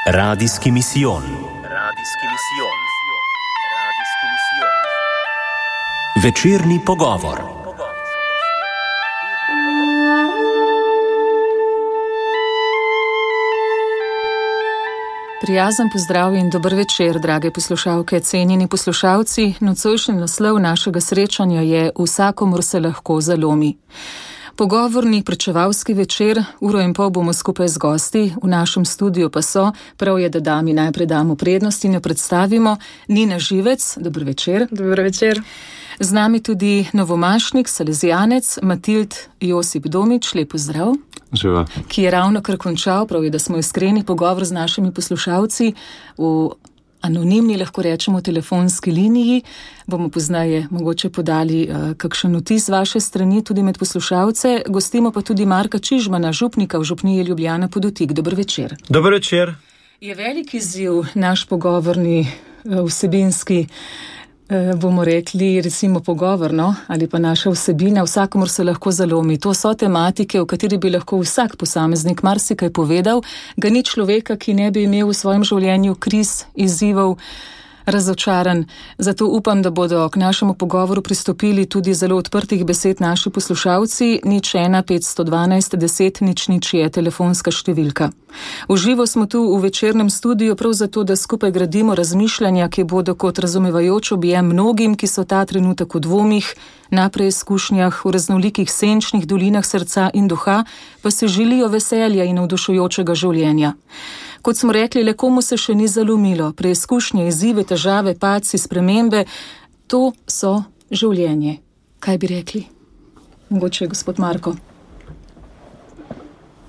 Radijski misijon. Večerni pogovor. Prijazen pozdrav in dober večer, drage poslušalke, cenjeni poslušalci. Nocojšnji naslov našega srečanja je Vsakomur se lahko zalomi. Pogovorni pričevalski večer, 1,5 ure bomo skupaj z gosti, v našem studiu pa so, prav je, da dami najprej damo prednost in jo predstavimo, Nina Živec, dober večer. Dober večer. Z nami tudi novomašnik, salezijanec, Matild Josip Domič, lep pozdrav. Živa. Ki je ravno kar končal, prav je, da smo iskreni pogovor z našimi poslušalci v anonimni, lahko rečemo, telefonski liniji. Bomo poznaje mogoče podali kakšen vtis vaše strani tudi med poslušalce. Gostimo pa tudi Marka Čižmana, župnika v župniji Ljubljana Poddotik. Dober večer. Dober večer. Je velik izziv naš pogovorni, vsebinski, bomo rekli, recimo pogovorno, ali pa naša vsebina, Vsakomur se lahko zalomi. To so tematike, v kateri bi lahko vsak posameznik marsikaj povedal. Ga ni človeka, ki ne bi imel v svojem življenju kriz, izzivov, razočaran. Zato upam, da bodo k našemu pogovoru pristopili tudi zelo odprtih besed naši poslušalci. 01 512 10 00 je telefonska številka. V živo smo tu v večernem studiu prav zato, da skupaj gradimo razmišljanja, ki bodo kot razumevajoč objem mnogim, ki so ta trenutek v dvomih, na preizkušnjah, v raznolikih senčnih dolinah srca in duha, pa se želijo veselja in navdušujočega življenja. Kot smo rekli, le komu se še ni zalomilo, preizkušnje, izzive, težave, padci, spremembe, to so življenje. Kaj bi rekli? Mogoče gospod Marko.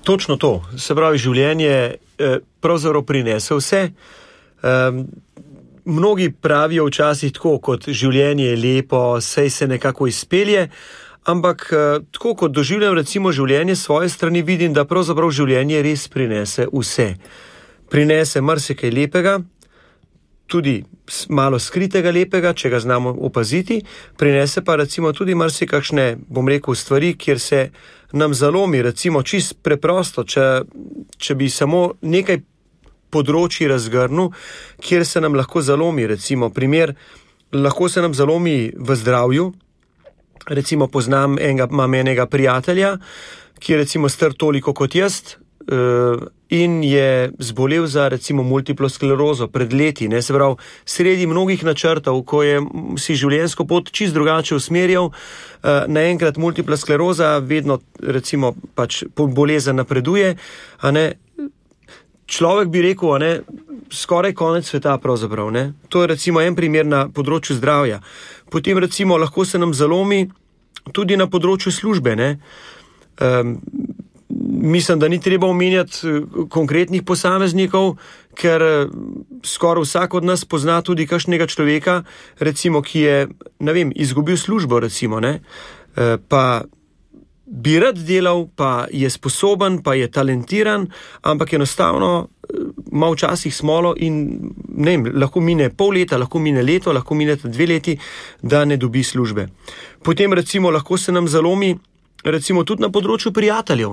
Točno to. Se pravi, življenje pravzaprav prinese vse. Mnogi pravijo včasih tako, kot življenje je lepo, sej se nekako izpelje, ampak tako kot doživljam recimo življenje s svoje strani, vidim, da pravzaprav življenje res prinese vse. Prinese marsikaj lepega, tudi malo skritega lepega, če ga znamo opaziti, prinese pa recimo tudi marsikakšne, bom rekel, stvari, kjer se nam zalomi, recimo čist preprosto, če bi samo nekaj področji razgrnil, kjer se nam lahko zalomi, recimo primer, lahko se nam zalomi v zdravju, recimo imam enega prijatelja, ki je recimo star toliko kot jaz, in je zbolel za recimo multiplo sklerozo pred leti, se pravi, sredi mnogih načrtov, ko je si življenjsko pot čist drugače usmerjal, naenkrat multipla skleroza, vedno recimo pač bolezen napreduje, človek bi rekel, skoraj konec sveta pravzaprav, To je recimo en primer na področju zdravja. Potem recimo lahko se nam zalomi tudi na področju službe, Mislim, da ni treba omenjati konkretnih posameznikov, ker skoraj vsak od nas pozna tudi kakšnega človeka, recimo, ki je, izgubil službo, recimo, pa bi rad delal, pa je sposoben, pa je talentiran, ampak enostavno ima včasih smolo in, lahko mine pol leta, lahko mine leto, lahko mine 2 leti, da ne dobi službe. Potem recimo lahko se nam zalomi recimo tudi na področju prijateljev,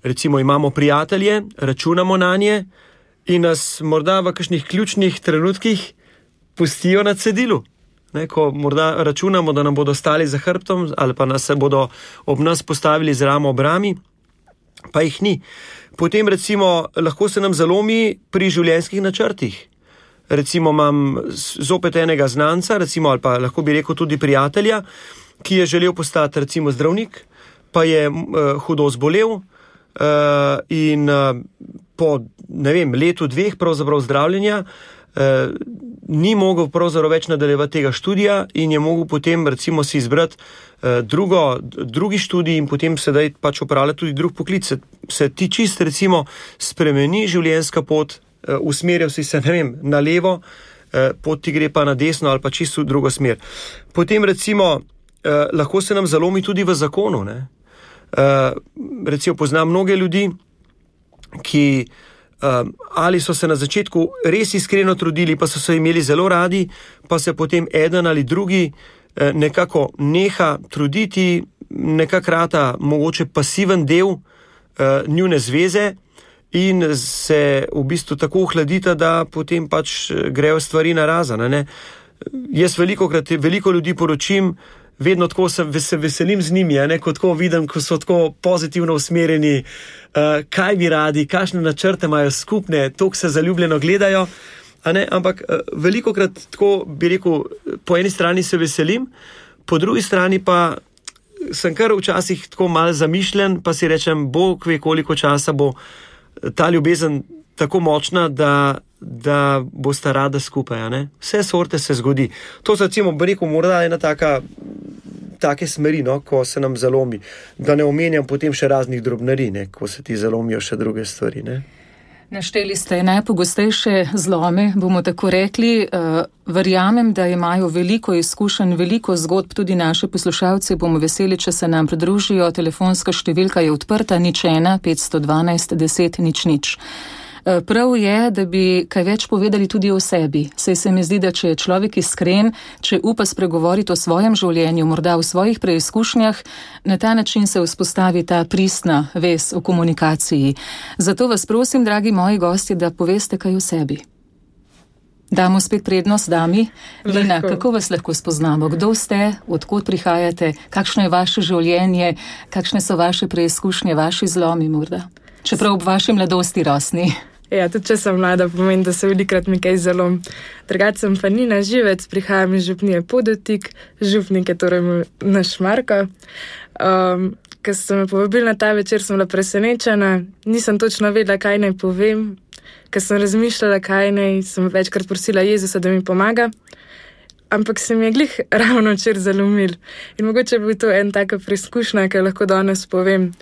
recimo imamo prijatelje, računamo nanje in nas morda v kakšnih ključnih trenutkih pustijo na cedilu, ko morda računamo, da nam bodo stali za hrbtom ali pa se bodo ob nas postavili z ramo ob rami, pa jih ni. Potem recimo lahko se nam zalomi pri življenjskih načrtih. Recimo imam zopet enega znanca, recimo, ali pa lahko bi rekel tudi prijatelja, ki je želel postati recimo zdravnik, pa je hudo zbolel in po, letu 2 pravzaprav zdravljenja ni mogel pravzaprav več nadaljevati tega študija in je mogel potem recimo si izbrati drugi študij in potem sedaj pač opravljati tudi drug poklic. Se ti čist recimo spremeni življenjska pot, usmerjal si se, na levo, pot ti gre pa na desno ali pa čisto v drugo smer. Potem recimo lahko se nam zalomi tudi v zakonu, Recimo poznam mnoge ljudi, ki ali so se na začetku res iskreno trudili, pa so se imeli zelo radi, pa se potem eden ali drugi nekako neha truditi, nekako rata mogoče pasiven del njune zveze in se v bistvu tako ohladita, da potem pač grejo stvari narazane, ne. Jaz veliko ljudi poročim, vedno tako se veselim z njimi, ne, ko tako vidim, ko so tako pozitivno usmerjeni, kaj bi radi, kakšne načrte imajo skupne, toliko se zaljubljeno gledajo, a ne, ampak velikokrat tako bi rekel, po eni strani se veselim, po drugi strani pa sem kar včasih tako malo zamišljen, pa si rečem, Bog ve, koliko časa bo ta ljubezen tako močna, da bosta rada skupaj, ne. Vse sorte se zgodi. To so recimo, bi rekel, morda ena take smeri, no, ko se nam zalomi. Da ne omenjam potem še raznih drobnarij, ne, ko se ti zalomijo še druge stvari, ne. Našteli ste najpogostejše zlome, bomo tako rekli. Verjamem, da imajo veliko izkušenj, veliko zgodb tudi naši poslušalci. Bomo veseli, če se nam pridružijo. Telefonska številka je odprta 01 512 10 00. Prav je, da bi kaj več povedali tudi o sebi. Saj se mi zdi, da če je človek iskren, če upa spregovoriti o svojem življenju, morda o svojih preizkušnjah, na ta način se vzpostavi ta pristna vez o komunikaciji. Zato vas prosim, dragi moji gostje, da poveste kaj o sebi. Damo spet prednost dami. Lina, kako vas lahko spoznamo? Kdo ste, odkot prihajate, kakšno je vaše življenje, kakšne so vaše preizkušnje, vaši zlomi morda? Čeprav ob vaši mladosti rosni. Ja, tudi če sem mlada, pomeni, da se velikrat mi kaj zalom. Drugače sem pa Nina Živec, prihajam iz župnije Podotik, župnik je torej naš Marko. Ko ste me povabili na ta večer, sem bila presenečena, nisem točno vedela, kaj naj povem. Ko sem razmišljala, kaj naj, sem večkrat prosila Jezusa, da mi pomaga. Ampak se mi je glih ravno včeraj zalomil. In mogoče bi to en taka preizkušnja, ki lahko danes povem.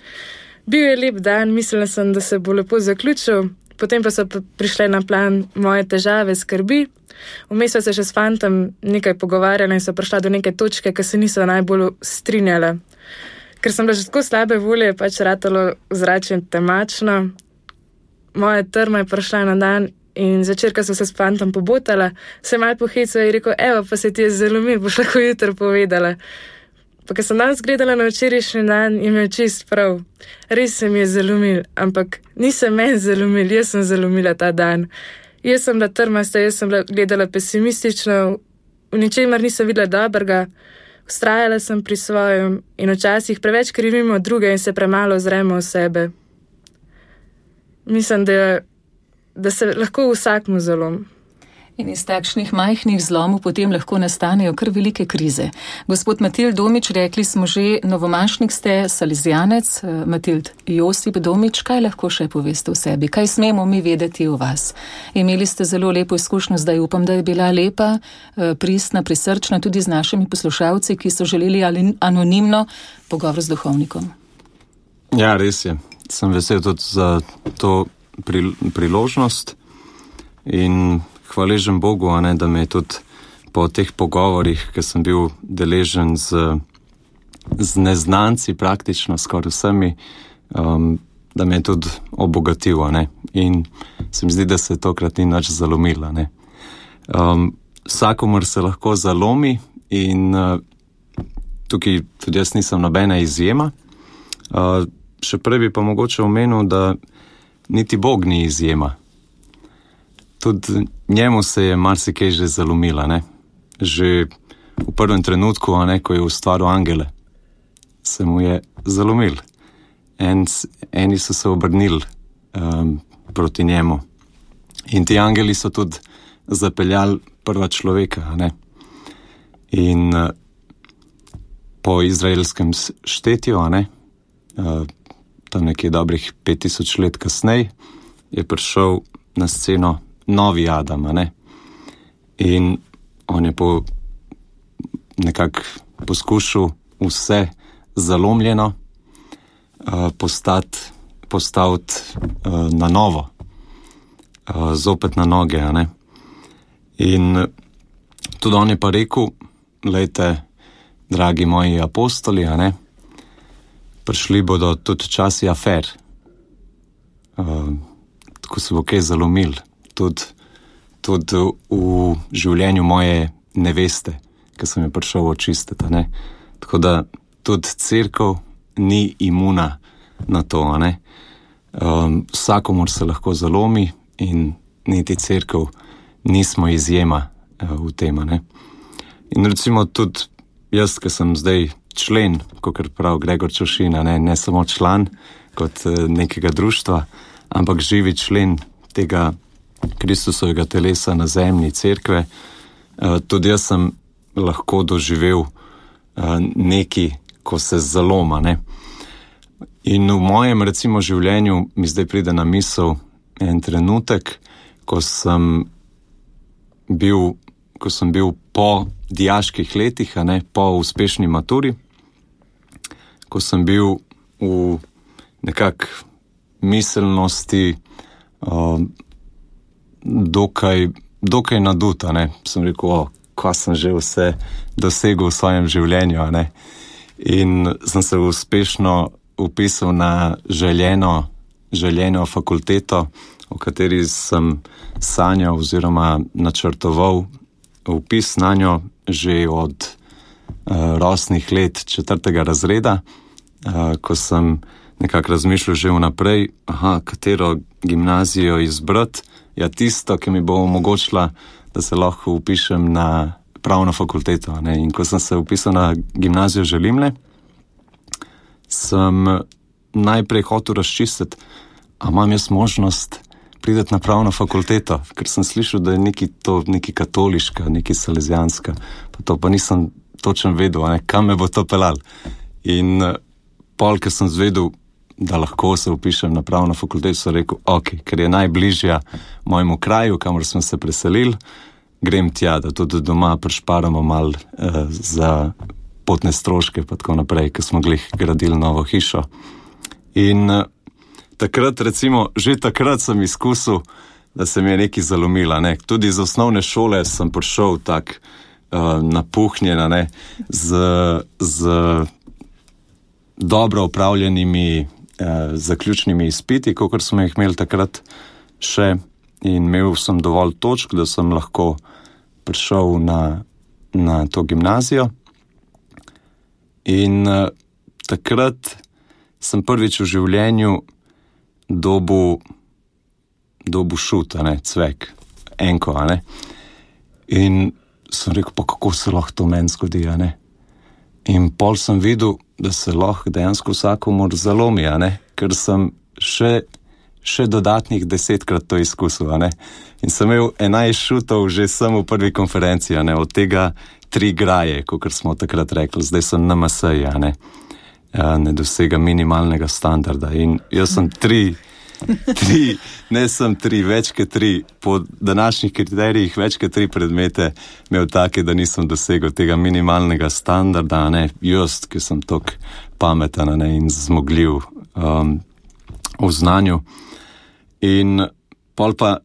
Bil je lep dan, mislila sem, da se bo lepo zaključil. Potem pa so prišle na plan moje težave, skrbi. Vmes so se še s fantom nekaj pogovarjala in so prišla do neke točke, ki se niso najbolj strinjala. Ker sem bila že tako slabe volje, pač ratalo zračje temačno. Moja trma je prišla na dan in zvečer, ko so se s fantom pobotala, se malo pohecala in rekel, evo, pa se ti je zalomil, boš lahko jutro povedala. Pa ko sem danes gledala na včerajšnji dan, je imel čist prav. Res se mi je zalomil, ampak nisem meni zalomil, jaz sem zalomila ta dan. Jaz sem bila trmasta, jaz sem bila gledala pesimistično, v ničemer nisem videla dobrega, vztrajala sem pri svojem in včasih preveč krivimo druge in se premalo ozremo v sebe. Mislim, da se lahko vsakmu zalom. In iz takšnih majhnih zlomov potem lahko nastanejo kar velike krize. Gospod Matild Domič, rekli smo že, novomašnik ste, salezijanec. Matild Josip Domič, kaj lahko še poveste o sebi? Kaj smemo mi vedeti o vas? Imeli ste zelo lepo izkušnjo, zdaj upam, da je bila lepa, pristna, prisrčna tudi z našimi poslušalci, ki so želeli anonimno pogovor z duhovnikom. Ja, res je. Sem vesel tudi za to priložnost in hvaležen Bogu, a ne, da me je tudi po teh pogovorih, ki sem bil deležen z neznanci praktično skoraj vsemi, da me je tudi obogatil, a ne. In se mi zdi, da se tokrat ni nič zalomila, ne. Vsakomur se lahko zalomi in tukaj tudi jaz nisem nobena izjema. Še prej bi pa mogoče omenil, da niti Bog ni izjema. Tudi njemu se je marsikaj že zalomila, ne. Že v prvem trenutku, a ne, ko je ustvaril angele, se mu je zalomil. Eni so se obrnili proti njemu. In ti angeli so tudi zapeljali prva človeka, a ne. In po izraelskem štetju, a ne, tam nekje dobrih 5000 let kasneje, je prišel na sceno novi Adam, a ne? In on je nekako poskušal vse zalomljeno postaviti na novo, zopet na noge, a ne? In tudi on je pa rekel, glejte, dragi moji apostoli, a ne, prišli bodo tudi časi afer, tako se bo kaj zalomil. Tudi v življenju moje neveste, ki sem jo prišel očistiti, ne. Tako da tudi cerkev ni imuna na to, ne. Vsakomur se lahko zalomi in niti cerkev nismo izjema v tem, ne. In recimo tudi jaz, ki sem zdaj člen, kakor pravi Gregor Čošina, ne samo član kot nekega društva, ampak živi člen tega Kristusovega telesa na zemlji, cerkve, tudi jaz sem lahko doživel nekaj, ko se zaloma, ne. In v mojem, recimo, življenju mi zdaj pride na misel en trenutek, ko sem bil po dijaških letih, po uspešni maturi, ko sem bil v nekak miselnosti dokaj nadut, sem rekel, kaj sem že vse dosegel v svojem življenju, in sem se uspešno upisal na željeno fakulteto, o kateri sem sanjal oziroma načrtoval vpis na njo že od rosnih let 4. razreda, ko sem nekako razmišljal že vnaprej, katero gimnazijo izbrati, tisto, ki mi bo omogočila, da se lahko upišem na pravno fakulteto. In ko sem se upisal na gimnazijo Želimlje, sem najprej hotel razčistiti, a imam jaz možnost priti na pravno fakulteto, ker sem slišal, da je nekaj katoliška, nekaj salezijanska, pa nisem točno vedel, kam me bo to pelalo. In pol, ker sem zvedel, da lahko se upišem na pravno fakulteto, sem rekel, ker je najbližja mojemu kraju, kamor smo se preselili, grem tja, da tudi doma prišparamo malo za potne stroške, pa tako naprej, ker smo glih gradili novo hišo. In takrat, recimo, že takrat sem izkusil, da se mi je nekaj zalomilo, Tudi iz osnovne šole sem prišel tak napuhnjen, z dobro opravljenimi zaključnimi izpiti, kakor smo jih imeli takrat še, in imel sem dovolj točk, da sem lahko prišel na to gimnazijo. In takrat sem prvič v življenju dobil šut, cvek, enko, In sem rekel, pa kako se lahko to meni zgodi, In pol sem videl, da se lahko dejansko vsakomur zalomi, ker sem še dodatnih 10-krat to izkusil, In sem imel 11 šutov že sem v prvi konferenci, od tega 3 graje, kakor smo takrat rekli, zdaj sem na MSI, ne dosega minimalnega standarda. In jaz sem 3, več kot 3, po današnjih kriterijih več kot 3 predmete imel take, da nisem dosegel tega minimalnega standarda, jaz, ki sem tok pameten, in zmogljiv v znanju. In pol pa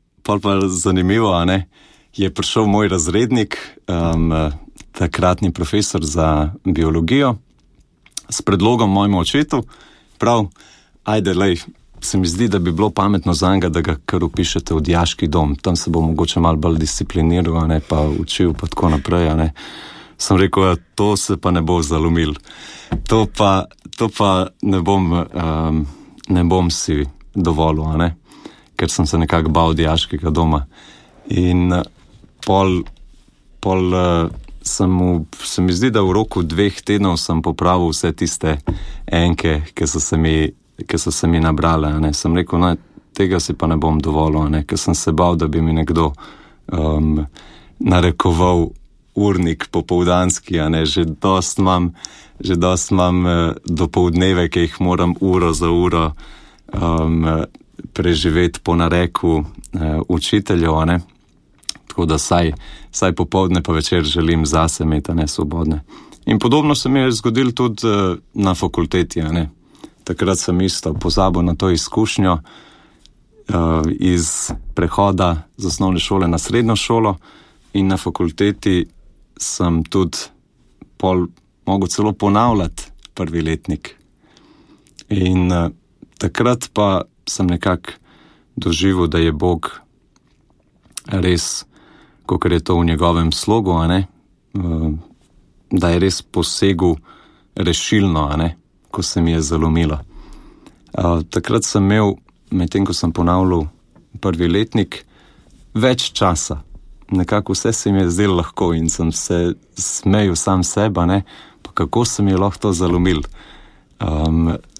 zanimivo, je prišel moj razrednik, takratni profesor za biologijo, s predlogom mojemu očetu, se mi zdi, da bi bilo pametno zanj, da ga kar upišete v dijaški dom. Tam se bo mogoče malo bolj discipliniral, pa učil, pa tako naprej, Sem rekel, to se pa ne bo zalomil. To pa ne bom si dovolil, ker sem se nekako bal dijaškega doma. In pol se mi zdi, da v roku 2 tednov sem popravil vse tiste enke, ki so se mi nabrale, Sem rekel, tega si pa ne bom dovolil, ker sem se bal, da bi mi nekdo narekoval urnik popoldanski, že dost imam dopoldneve, ki jih moram uro za uro preživeti po nareku učiteljev, tako da saj popoldne pa večer želim zase imeti, svobodne. In podobno se mi je zgodilo tudi na fakulteti, Takrat sem isto pozabil na to izkušnjo iz prehoda z osnovne šole na srednjo šolo, in na fakulteti sem tudi mogel celo ponavljati prvi letnik. In takrat pa sem nekako doživel, da je Bog res, kakor je to v njegovem slogu, da je res posegel rešilno, ko se mi je zalomilo. Takrat sem imel medtem ko sem ponavljal prvi letnik, več časa. Nekako vse se mi je zdelo lahko in sem se smejal sam seba, ne, pa kako sem je lahko to zalomil,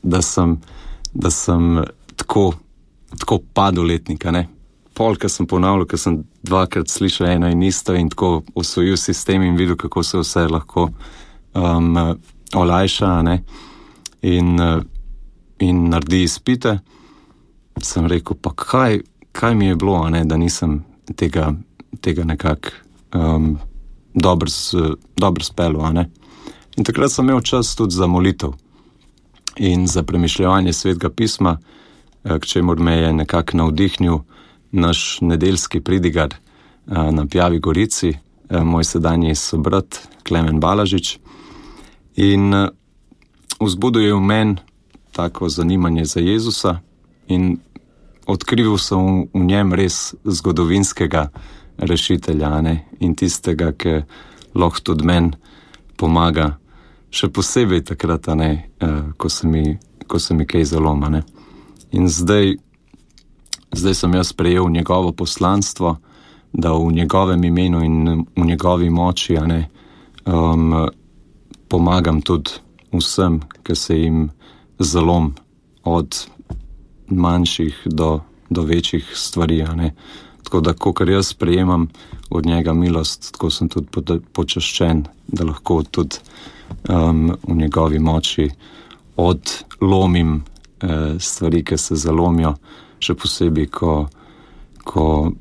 da sem tako padel letnika, ne. Pol, ko sem ponavljal, ko sem dvakrat slišal eno in isto in tako osvojil sistem in videl, kako se vse lahko olajša, ne, in naredi izpite, sem rekel, pa kaj mi je bilo, ne, da nisem tega nekako dobro speljal, ne. In takrat sem imel čas tudi za molitev in za premišljevanje Svetega pisma, k čemur me je nekako navdihnil naš nedeljski pridigar na Pjavi Gorici, moj sedanji sobrat Klemen Balažič. In vzbudil je v meni tako zanimanje za Jezusa in odkril sem v njem res zgodovinskega rešitelja, ne? In tistega, ki lahko tudi meni pomaga, še posebej takrat, ne? Ko se mi kaj zaloma, ne? In zdaj sem jaz prejel njegovo poslanstvo, da v njegovem imenu in v njegovi moči, ne, pomagam tudi vsem, ki se jim zalom od manjših do večjih stvari, ne. Tako da, kakor jaz prejemam od njega milost, tako sem tudi počaščen, da lahko tudi v njegovi moči odlomim stvari, ki se zalomijo, še posebej, ko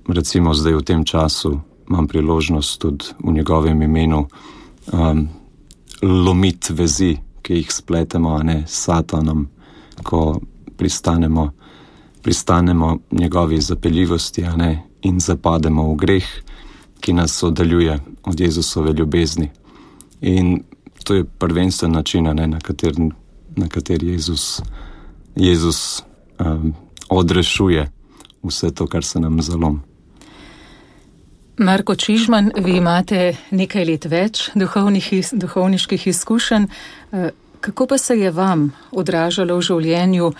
recimo zdaj v tem času imam priložnost tudi v njegovem imenu lomiti vezi, ki jih spletemo, ne, s Satanom, ko pristanemo njegovi zapeljivosti, ne, in zapademo v greh, ki nas oddaljuje od Jezusove ljubezni. In to je prvensten način, ne, na kateri Jezus odrešuje vse to, kar se nam zalom. Marko Čižman, vi imate nekaj let več duhovniških izkušenj. Kako pa se je vam odražalo v življenju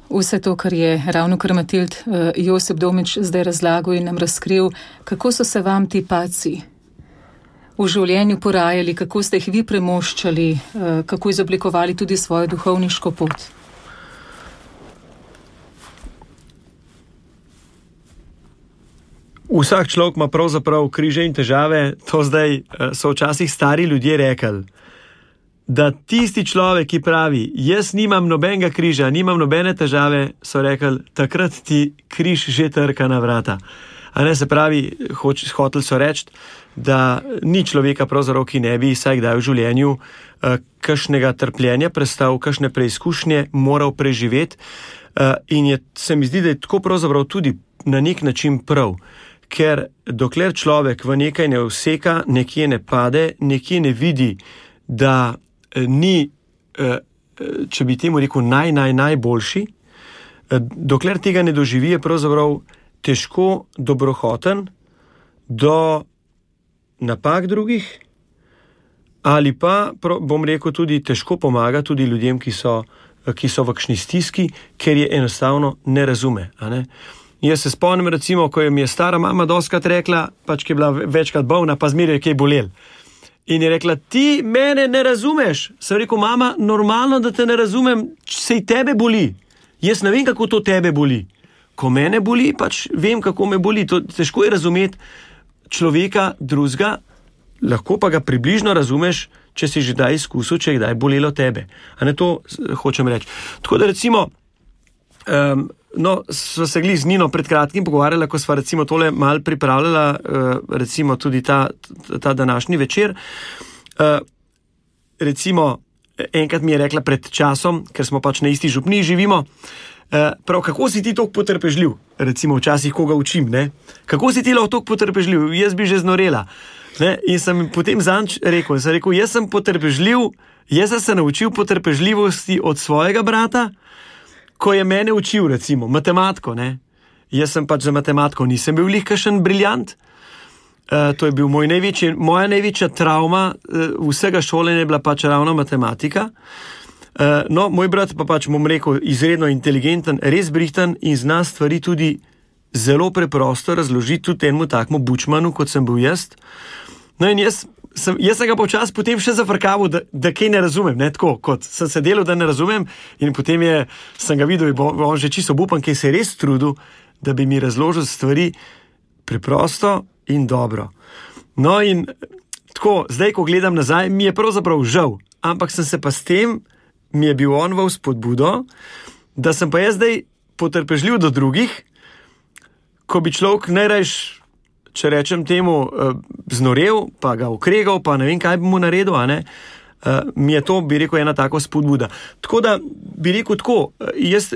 vse to, kar je ravnokar Matild Josip Domič zdaj razlagal in nam razkril? Kako so se vam ti padci v življenju porajali, kako ste jih vi premoščali, kako izoblikovali tudi svojo duhovniško pot? Vsak človek ima pravzaprav križe in težave. To zdaj so včasih stari ljudje rekli, da tisti človek, ki pravi, jaz nimam nobenega križa, nimam nobene težave, so rekli, takrat ti križ že trka na vrata. A ne, se pravi, hoteli so reči, da ni človeka pravzaprav, ki ne bi vsaj kdaj v življenju kakšnega trpljenja prestal, kakšne preizkušnje moral preživeti. In se mi zdi, da je tako pravzaprav tudi na nek način prav. Ker dokler človek v nekaj ne useka, nekje ne pade, nekje ne vidi, da ni, če bi temu rekel, najboljši, dokler tega ne doživi, je pravzaprav težko dobrohoten do napak drugih, ali pa, bom rekel, tudi težko pomaga tudi ljudem, ki so v kakšni stiski, ker je enostavno ne razume, a ne? Jaz se spomnim, recimo, ko mi je stara mama dostikrat rekla, pač ki je bila večkrat bolna, pa zmeraj je kaj bolel. In je rekla, ti mene ne razumeš. Sem rekel, mama, normalno, da te ne razumem, sej tebe boli. Jaz ne vem, kako to tebe boli. Ko mene boli, pač vem, kako me boli. To težko je razumeti človeka drugega, lahko pa ga približno razumeš, če si že kdaj izkusil, če je kdaj bolelo tebe. A ne, to hočem reči. Tako da recimo, sva se glih z Nino pred kratkim pogovarjala, ko sva recimo tole malo pripravljala, recimo tudi ta današnji večer. Recimo, enkrat mi je rekla pred časom, ker smo pač na isti župniji živimo, prav, kako si ti toliko potrpežljiv? Recimo včasih koga učim, ne? Kako si ti lahko toliko potrpežljiv? Jaz bi že znorela. Ne? In sem potem zanj rekel, jaz sem potrpežljiv, jaz sem se naučil potrpežljivosti od svojega brata, ko je mene učil, recimo, matematiko, ne. Jaz sem pač za matematiko nisem bil kakšen briljant. To je bil moja največja travma vsega šolanja je bila pač ravno matematika. No, moj brat pa pač, bom rekel, izredno inteligenten, res brihten in zna stvari tudi zelo preprosto razložiti tudi enemu takmu bučmanu, kot sem bil jaz. No in jaz sem ga počas potem še zafrkaval, da kaj ne razumem, ne tako, kot sem se delal, da ne razumem in potem sem ga videl, on že čisto obupan, ki se je res trudil, da bi mi razložil stvari preprosto in dobro. No in tako, zdaj, ko gledam nazaj, mi je pravzaprav žal, ampak sem se pa s tem, mi je bil on v spodbudo, da sem pa jaz zdaj potrpežljiv do drugih, ko bi človek najrajš, če rečem temu, znorel, pa ga okregal, pa ne vem, kaj bi mu naredil, mi je to, bi rekel, ena tako spodbuda. Tako da, bi rekel tako, jaz,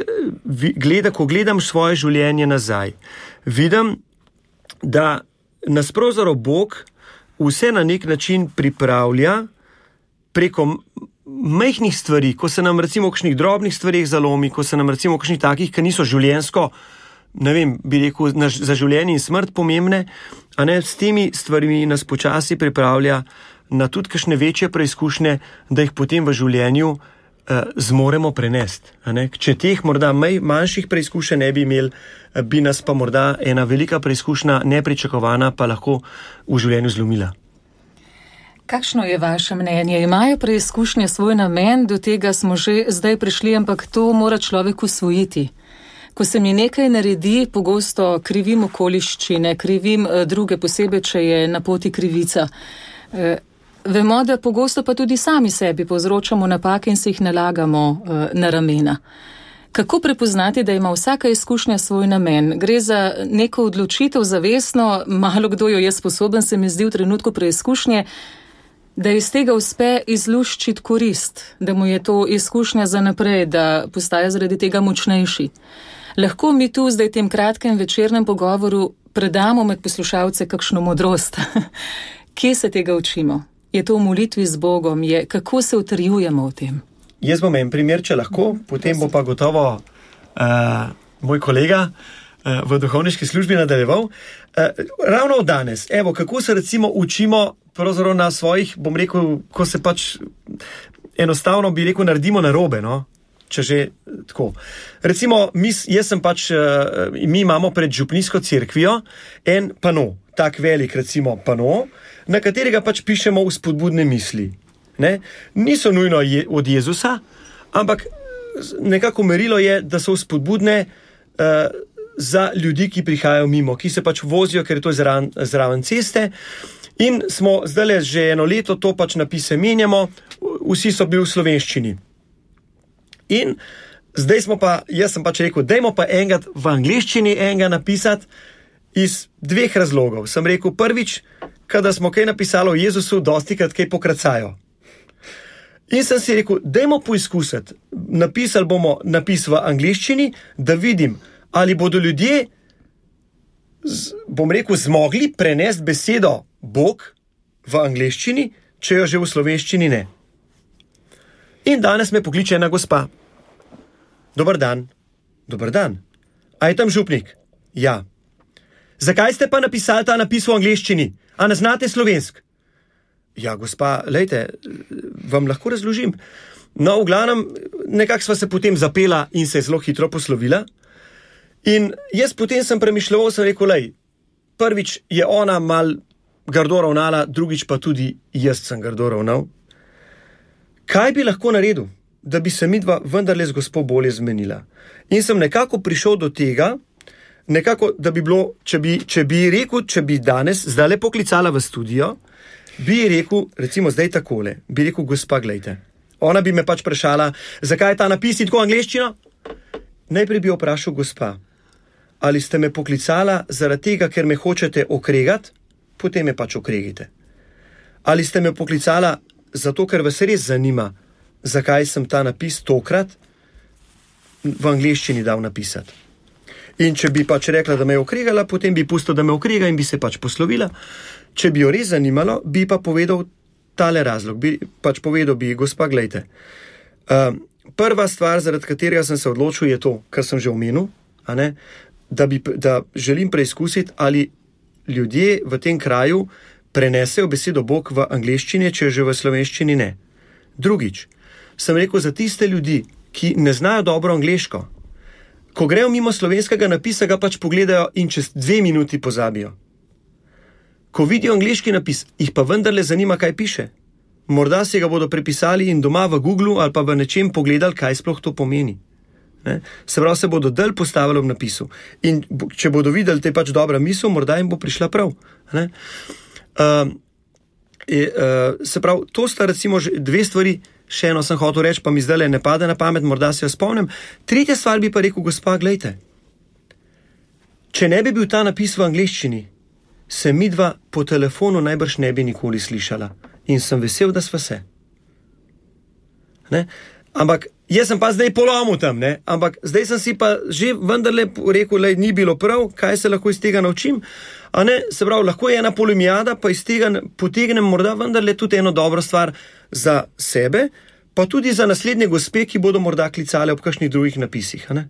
ko gledam svoje življenje nazaj, vidim, da nas pravzaprav Bog vse na nek način pripravlja preko majhnih stvari, ko se nam recimo v kakšnih drobnih stvarih zalomi, ko se nam recimo v kakšnih takih, ki niso življenjsko, ne vem, bi rekel, za življenje in smrt pomembne, s temi stvarmi nas počasi pripravlja na tudi kakšne večje preizkušnje, da jih potem v življenju zmoremo prenesti. Če teh morda manjših preizkušenj ne bi imeli, bi nas pa morda ena velika preizkušnja, nepričakovana, pa lahko v življenju zlomila. Kakšno je vaše mnenje? Imajo preizkušnje svoj namen, do tega smo že zdaj prišli, ampak to mora človek usvojiti. Ko se mi nekaj naredi, pogosto krivim okoliščine, krivim druge, posebej, če je na poti krivica. Vemo, da pogosto pa tudi sami sebi povzročamo napake in se jih nalagamo na ramena. Kako prepoznati, da ima vsaka izkušnja svoj namen? Gre za neko odločitev zavestno, malo kdo jo je sposoben, se mi zdi v trenutku preizkušnje, da iz tega uspe izluščiti korist, da mu je to izkušnja za naprej, da postaja zaradi tega močnejši. Lahko mi tu zdaj v tem kratkem večernem pogovoru predamo med poslušalce kakšno modrost. Kje se tega učimo? Je to v molitvi z Bogom? Kako se utrjujemo v tem? Jaz bom en primer, če lahko, potem bo pa gotovo moj kolega v duhovniški službi nadaljeval. Ravno danes, kako se recimo učimo pravzaprav na svojih, bom rekel, ko se pač enostavno, bi rekel, naredimo narobe, no? Če že tako. Recimo, mi imamo pred župnijsko cerkvijo en pano, tak velik recimo pano, na katerega pač pišemo vzpodbudne misli. Ne? Niso nujno od Jezusa, ampak nekako merilo je, da so vzpodbudne za ljudi, ki prihajajo mimo, ki se pač vozijo, ker je to zraven ceste. In smo zdaj že eno leto to pač napise menjamo, vsi so bili v slovenščini. In zdaj jaz sem pač rekel, dajmo pa enega v angleščini enega napisati iz dveh razlogov. Sem rekel, prvič, kada smo kaj napisali o Jezusu, dostikrat kaj pokracajo. In sem si rekel, dajmo poizkusiti. Napisali bomo napis v angleščini, da vidim, ali bodo ljudje, bom rekel, zmogli prenesti besedo Bog v angleščini, če jo že v slovenščini ne. In danes me pokliče ena gospa. Dobar dan. Dobar dan. A je tam župnik? Ja. Zakaj ste pa napisali ta napis v angleščini? A ne znate slovensk? Ja, gospa, lejte, vam lahko razložim. No, v glavnem, nekako sva se potem zapela in se zelo hitro poslovila. In jaz potem sem premišljal, sem rekel, lej, prvič je ona mal grdo ravnala, drugič pa tudi jaz sem grdo ravnal. Kaj bi lahko naredil, da bi se midva vendarle z gospo bolje zmenila? In sem nekako prišel do tega, nekako, da bi bilo, če bi danes zdaj poklicala v studio, bi rekel, recimo zdaj takole, bi rekel, gospa, glejte, ona bi me pač vprašala, zakaj je ta napis in tako angleščino? Najprej bi vprašal, gospa, ali ste me poklicala zaradi tega, ker me hočete okregati, potem me pač okregite. Ali ste me poklicala zato, ker vas res zanima, zakaj sem ta napis tokrat v angleščini dal napisati. In če bi pač rekla, da me je okregala, potem bi pustil, da me okrega in bi se pač poslovila. Če bi jo res zanimalo, bi pa povedal tale razlog. Povedal bi, gospa, glejte, prva stvar, zaradi katerega sem se odločil, je to, kar sem že omenil, da želim preizkusiti, ali ljudje v tem kraju prenesejo besedo Bog v angleščini, če že v slovenščini ne. Drugič, sem rekel, za tiste ljudi, ki ne znajo dobro angleško, ko grejo mimo slovenskega napisa, ga pač pogledajo in čez 2 minuti pozabijo. Ko vidijo angleški napis, jih pa vendarle zanima, kaj piše. Morda si ga bodo prepisali in doma v Googlu ali pa v nečem pogledali, kaj sploh to pomeni. Ne? Se pravi, se bodo dalj postavili v napisu. In če bodo videli, te pač dobra misel, morda jim bo prišla prav. Ne? Se pravi, to sta recimo 2 stvari, še eno sem hotel reči, pa mi zdaj ne pade na pamet, morda se jo spomnim. 3. stvar bi pa rekel, gospa, glejte, če ne bi bil ta napis v angleščini, se midva po telefonu najbrž ne bi nikoli slišala. In sem vesel, da sva se. Ne? Ampak jaz sem pa zdaj polomil tam, ne? Ampak zdaj sem si pa že vendarle rekel, da ni bilo prav, kaj se lahko iz tega naučim. A ne, se pravi, lahko je ena polemijada, pa iz tega potegnem morda vendarle tudi eno dobro stvar za sebe, pa tudi za naslednje gospe, ki bodo morda klicale ob kakšnih drugih napisih. A ne?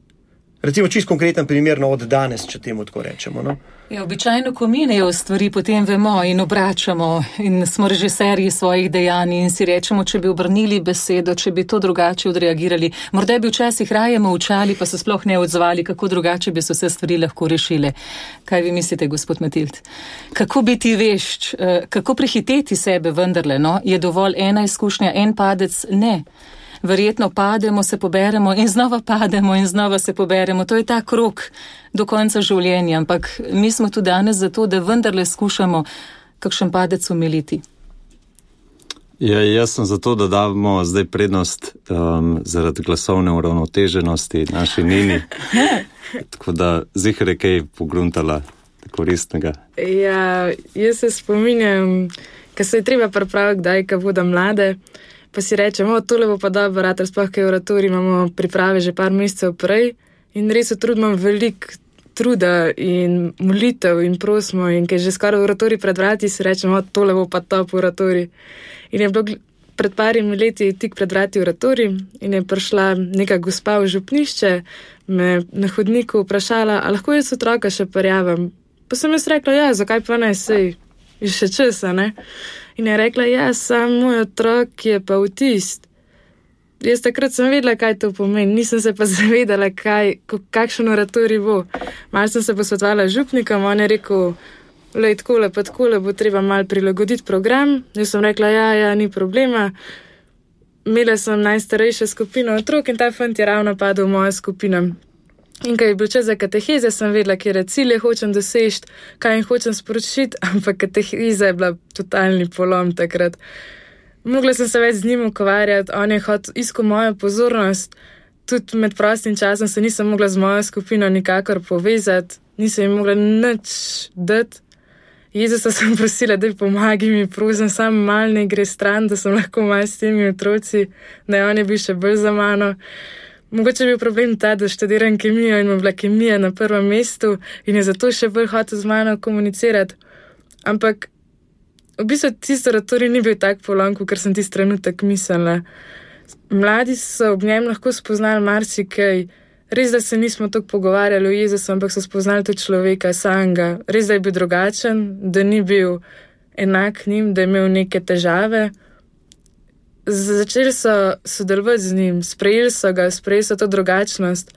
Recimo čist konkreten primer, od danes, če temu tako rečemo. No? Ja, običajno, ko minejo stvari, potem vemo in obračamo in smo režiserji svojih dejanj in si rečemo, če bi obrnili besedo, če bi to drugače odreagirali. Morda bi včasih raje molčali, pa se sploh ne odzvali, kako drugače bi se vse stvari lahko rešile. Kaj vi mislite, gospod Matild? Kako biti vešč, kako prehiteti sebe vendarle, no? Je dovolj ena izkušnja, en padec? Ne. Verjetno pademo, se poberemo in znova pademo in znova se poberemo. To je ta krog do konca življenja, ampak mi smo tu danes zato, da vendarle skušamo kakšen padec umiliti. Ja, jaz sem zato, da damo zdaj prednost zaradi glasovne uravnoteženosti naši Nini. Tako da zihre kaj pogruntala koristnega. Ja, jaz se spominjam, ko se je treba pripraviti, kdaj, ko bodo mlade, pa si rečemo, tole bo pa dobro, rater sploh kaj oratorij imamo priprave že par mesecev prej in res utrudimo veliko truda in molitev in prosimo in kaj že skoraj oratorij pred vrati si rečemo, tole bo pa top oratorij. In je bilo pred parimi leti tik pred vrati oratorij in je prišla neka gospa v župnišče, me na hodniku vprašala, a lahko jaz otroka še prijavim. Pa sem jaz rekla, ja, zakaj pa ne, sej je še časa, ne? In je rekla, ja, sam moj otrok je pa avtist. Jaz takrat sem vedela, kaj to pomeni, nisem se pa zavedala, kakšen oratorij bo. Malo sem se posvetovala župnikom, on je rekel, lej, takole pa takole bo treba malo prilagoditi program. Jaz sem rekla, ja, ni problema. Imela sem najstarejšo skupino otrok in ta fant je ravno padel v mojo skupino. In ko je bil čas za kateheze, sem vedela, kjer cilje hočem doseči, kaj jim hočem sporočiti, ampak kateheza je bila totalni polom takrat. Mogla sem se več z njim ukvarjati, on je iskal mojo pozornost, tudi med prostim časom se nisem mogla z mojo skupino nikakor povezati, nisem jim mogla nič dati. Jezusa sem prosila, da pomagi mi, prosim, sam mal ne gre stran, da sem lahko mal s temi otroci, da on je bil še bolj za mano. Mogoče je bil problem ta, da študiram kemijo in ima bila kemija na prvem mestu in je zato še bolj hotel z mano komunicirati. Ampak v bistvu tisto oratorij ni bil tak polom, ker sem tisti trenutek mislila. Mladi so ob njem lahko spoznali marsikaj. Res, da se nismo toliko pogovarjali o Jezusu, ampak so spoznali tudi človeka samega. Res, da je bil drugačen, da ni bil enak njim, da je imel neke težave. Začeli so sodelovati z njim, sprejeli so to drugačnost,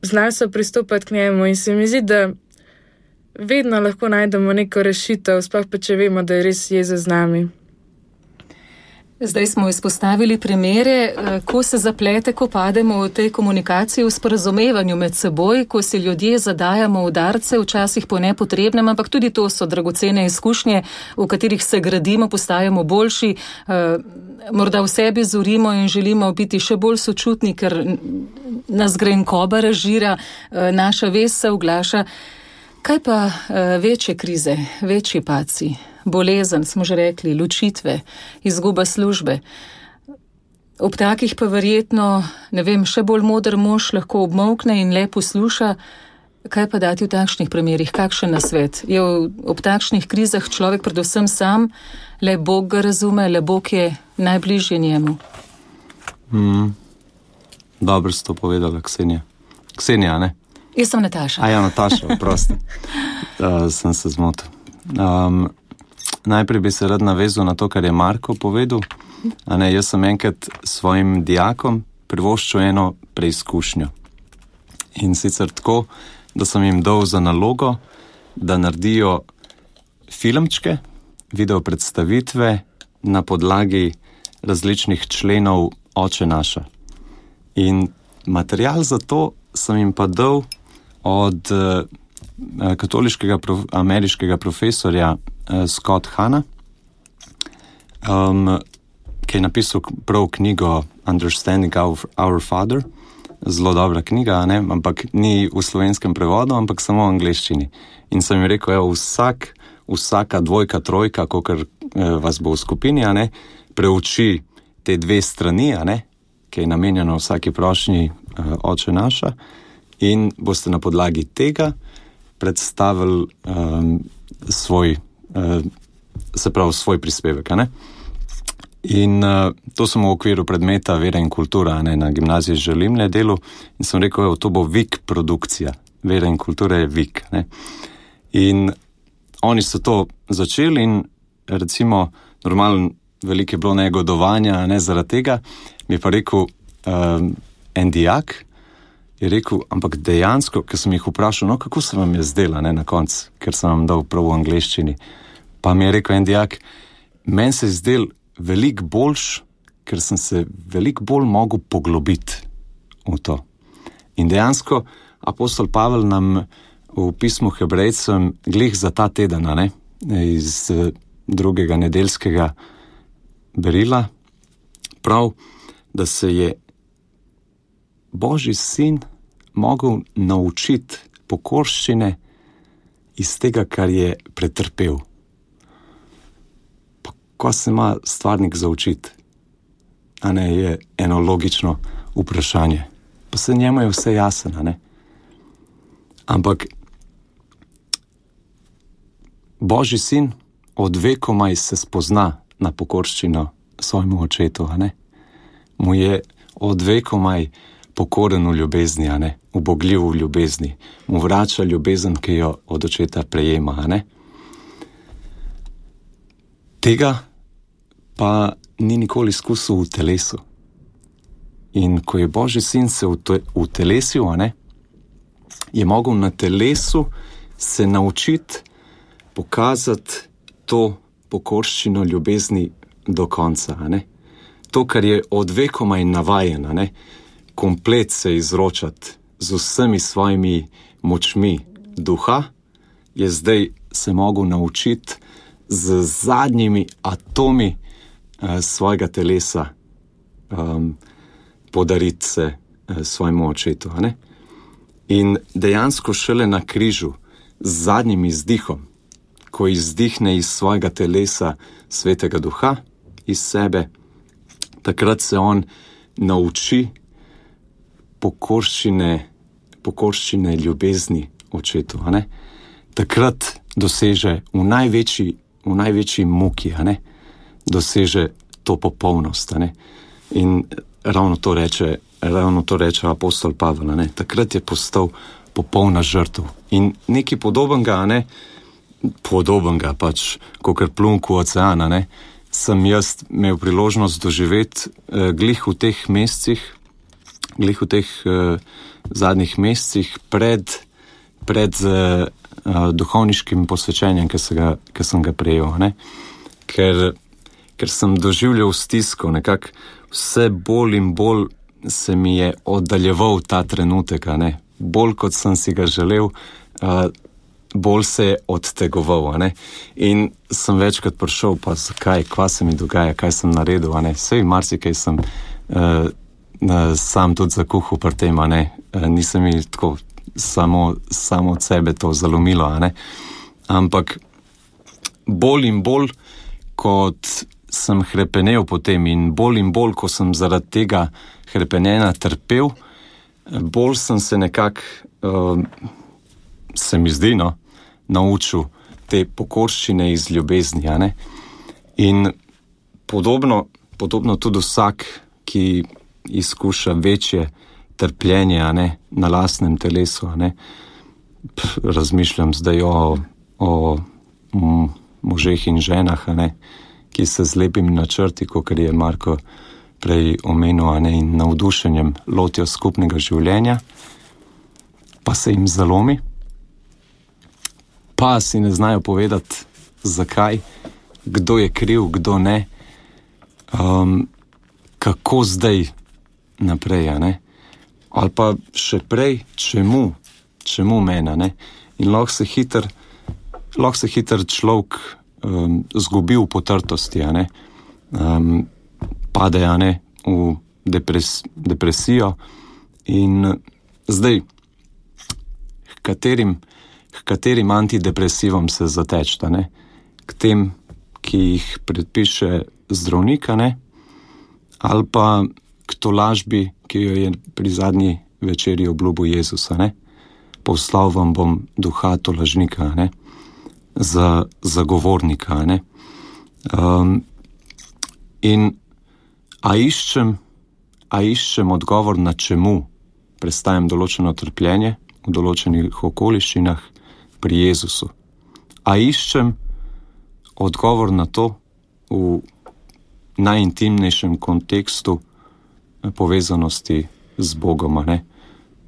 znali so pristopati k njemu in se mi zdi, da vedno lahko najdemo neko rešitev, sploh pa če vemo, da je res Jezus z nami. Zdaj smo izpostavili primere, ko se zaplete, ko pademo v tej komunikaciji, v sporazumevanju med seboj, ko si ljudje zadajamo udarce, včasih po nepotrebnem, ampak tudi to so dragocene izkušnje, v katerih se gradimo, postajamo boljši, morda v sebi zorimo in želimo biti še bolj sočutni, ker nas grenkoba razžira, naša vest se uglaša. Kaj pa večje krize, večji padci? Bolezen, smo že rekli, ločitve, izguba službe. Ob takih pa verjetno, ne vem, še bolj moder mož lahko obmolkne in le posluša. Kaj pa dati v takšnih primerih? Kakšen nasvet? Je ob takšnih krizah človek predvsem sam, le Bog ga razume, le Bog je najbližje njemu. Dobro si to povedala, Ksenija. Ksenija, ne? Jaz sem Nataša. Ja, Nataša, prosti. Sem se zmotil. Najprej bi se rad navezal na to, kar je Marko povedal. Jaz sem enkrat svojim dijakom privoščil eno preizkušnjo. In sicer tako, da sem jim dal za nalogo, da naredijo filmčke, video predstavitve na podlagi različnih členov Oče naša. In material za to sem jim pa dal od katoliškega ameriškega profesorja Scott Hanna, ki je napisal prav knjigo Understanding Our Father. Zelo dobra knjiga, ampak ni v slovenskem prevodu, ampak samo v angleščini. In sem jim rekel, vsaka dvojka, trojka, kakor vas bo v skupini, preuči te dve strani, ki je namenjeno vsaki prošnji Oče naša, in boste na podlagi tega predstavili svoj prispevek. In to sem v okviru predmeta Vera in kultura na gimnaziji Želimlje delu in sem rekel, to bo VIK produkcija. Vera in kultura je VIK. In oni so to začeli in recimo normalno veliko je bilo negodovanja zaradi tega, mi je pa rekel en dijak, je rekel, ampak dejansko, ker sem jih vprašal, kako se vam je zdela na koncu, ker sem vam dal prav v angleščini, pa mi je rekel en dijak, meni se je zdel veliko boljš, ker sem se veliko bolj mogel poglobiti v to. In dejansko apostol Pavel nam v pismu Hebrejcem glih za ta teden, iz drugega nedeljskega berila, prav, da se je Božji sin mogel naučiti pokorščine iz tega, kar je pretrpel. Pa ko se ima stvarnik za učiti? Je eno logično vprašanje. Pa se njemu je vse jasno, Ampak Božji sin od vekomaj se spozna na pokorščino svojemu očetu, Mu je od vekomaj pokoren v ljubezni, ubogljiv v ljubezni. Mu vrača ljubezen, ki jo od očeta prejema, Tega pa ni nikoli izkusil v telesu. In ko je Božji sin se utelesil, je mogel na telesu se naučiti pokazati to pokorščino ljubezni do konca, To, kar je od vekomaj navajen, komplet se izročati z vsemi svojimi močmi duha, je zdaj se mogel naučiti z zadnjimi atomi svojega telesa podariti se svojemu očetu. In dejansko šele na križu z zadnjim izdihom, ko izdihne iz svojega telesa svetega duha, iz sebe, takrat se on nauči pokorščine ljubezni očetu. Takrat doseže v največji muki, doseže to popolnost. In ravno to reče apostol Pavel. Takrat je postal popolna žrtev. In nekaj podobnega pač, kakor plunk v ocean, sem jaz imel priložnost doživeti glih v teh zadnjih mesecih pred duhovniškim posvečenjem, ki sem ga prejel. Ker sem doživljal stisko, nekako vse bolj in bolj se mi je oddaljeval ta trenutek, bolj kot sem si ga želel, bolj se je odtegoval. In sem večkrat prišel, pa zakaj, kva se mi dogaja, kaj sem naredil, sej marsikaj sem sam tudi zakuhal pri tem, nisem mi tako samo od sebe to zalomilo, ampak bolj in bolj, kot sem hrepenel potem in bolj, ko sem zaradi tega hrepenenja trpel, bolj sem se nekako, se mi zdi, naučil te pokorščine iz ljubezni, In podobno tudi vsak, ki izkuša večje trpljenje, na lastnem telesu, Razmišljam zdaj o možeh in ženah, ki se z lepimi načrti, kot je Marko prej omenil, in navdušenjem lotijo skupnega življenja, pa se jim zalomi, pa si ne znajo povedati, zakaj, kdo je kriv, kdo ne, kako zdaj naprej, ali pa še prej, čemu mene, in lahko se hiter človek zgubi v potrtosti, pade, v depresijo in zdaj, katerim antidepresivom se zatečta, k tem, ki jih predpiše zdravnik, ali pa k tolažbi, ki jo je pri zadnji večeri obljubil Jezusa, poslal vam bom duha tolažnika, za zagovornika, in a iščem odgovor, na čemu prestajam določeno trpljenje v določenih okoliščinah pri Jezusu. A iščem odgovor na to v najintimnejšem kontekstu povezanosti z Bogom,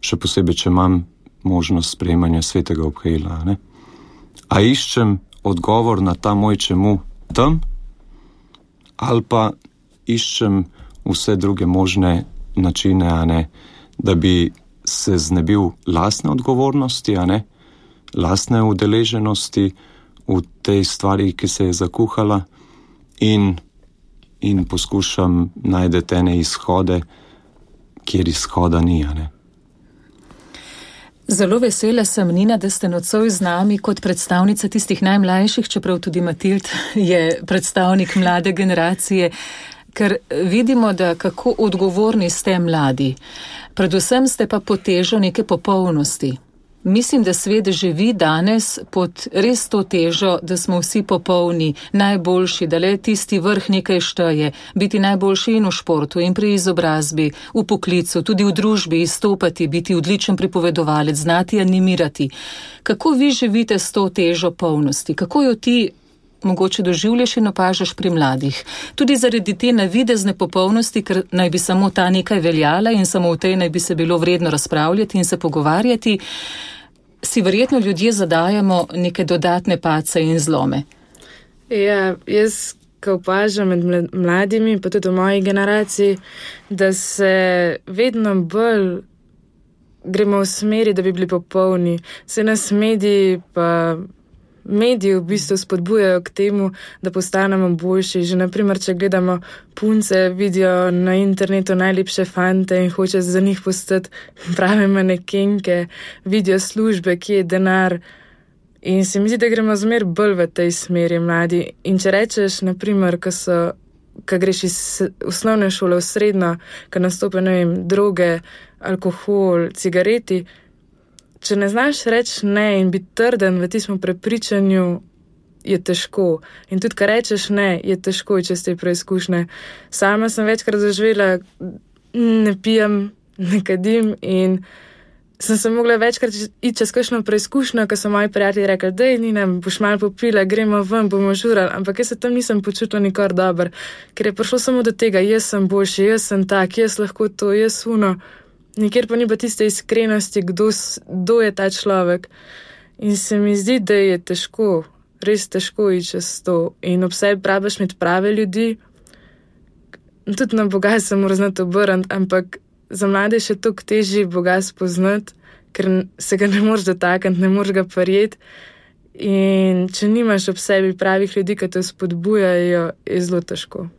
še posebej, če imam možnost sprejemanja svetega obhajila, A iščem odgovor na ta moj čemu tam, ali pa iščem vse druge možne načine, da bi se znebil lastne odgovornosti, lastne udeleženosti v tej stvari, ki se je zakuhala, in poskušam najti ene izhode, kjer izhoda ni, Zelo vesela sem, Nina, da ste nocoj z nami kot predstavnica tistih najmlajših, čeprav tudi Matild je predstavnik mlade generacije, ker vidimo, da kako odgovorni ste mladi. Predvsem ste pa pod težo neke popolnosti. Mislim, da svet živi danes pod res to težo, da smo vsi popolni, najboljši, da le tisti vrh nekaj šteje, biti najboljši in v športu, in pri izobrazbi, v poklicu, tudi v družbi, izstopati, biti odličen pripovedovalec, znati animirati. Kako vi živite s to težo polnosti? Kako jo ti mogoče doživljaš in opažaš pri mladih? Tudi zaradi te navidezne popolnosti, ker naj bi samo ta nekaj veljala in samo v tej naj bi se bilo vredno razpravljati in se pogovarjati, si verjetno ljudje zadajamo neke dodatne pace in zlome. Ja, jaz, ko opažam med mladimi, pa tudi v moji generaciji, da se vedno bolj gremo v smeri, da bi bili popolni. Se nas mediji v bistvu spodbujajo k temu, da postanemo boljši. Že naprimer, če gledamo punce, vidijo na internetu najlepše fante in hoče za njih postati prave manekenke, vidijo službe, kje je denar. In se mi zdi, da gremo zmer bolj v tej smeri mladi. In če rečeš, naprimer, ko greš iz osnovne šole v srednjo, ko nastope, droge, alkohol, cigareti, če ne znaš reči ne in biti trden v tistem prepričanju, je težko. In tudi, ko rečeš ne, je težko čez te preizkušnje. Sama sem večkrat doživela, ne pijem, ne kadim in sem se mogla večkrat iti čez kakšno preizkušnjo, ko so moji prijatelji rekli, dej, Nina, boš malo popila, gremo ven, bomo žurali, ampak jaz se tam nisem počutila nikar dober, ker je prišlo samo do tega, jaz sem boljši, jaz sem tak, jaz lahko to, jaz uno. Nikjer pa ni pa tiste iskrenosti, kdo je ta človek. In se mi zdi, da je težko, res težko iti čez to. In ob sebi praviš imeti prave ljudi. Tudi na Boga se mora znati obrniti, ampak za mlade še toliko težje Boga spoznati, ker se ga ne moreš dotakniti, ne moreš ga prijeti. In če nimaš ob sebi pravih ljudi, ki te spodbujajo, je zelo težko.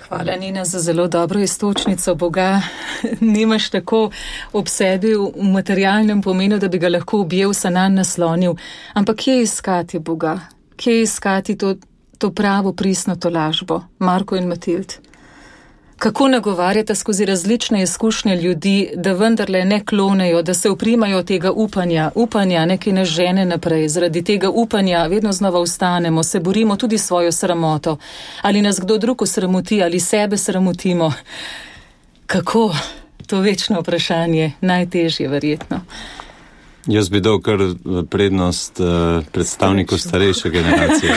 Hvala, Nina, za zelo dobro iztočnico. Boga nimaš tako ob sebi v materialnem pomenu, da bi ga lahko objel, se nanj naslonil. Ampak kje iskati Boga? Kje iskati to pravo pristno tolažbo? Marko in Matild. Kako nagovarjate skozi različne izkušnje ljudi, da vendarle ne klonejo, da se uprimajo tega upanja, nekaj nas žene naprej. Zaradi tega upanja vedno znova vstanemo, se borimo tudi svojo sramoto. Ali nas kdo drug osramoti, ali sebe sramotimo. Kako? To večno vprašanje, najtežje verjetno. Jaz bi dal kar prednost predstavniku starejše generacije.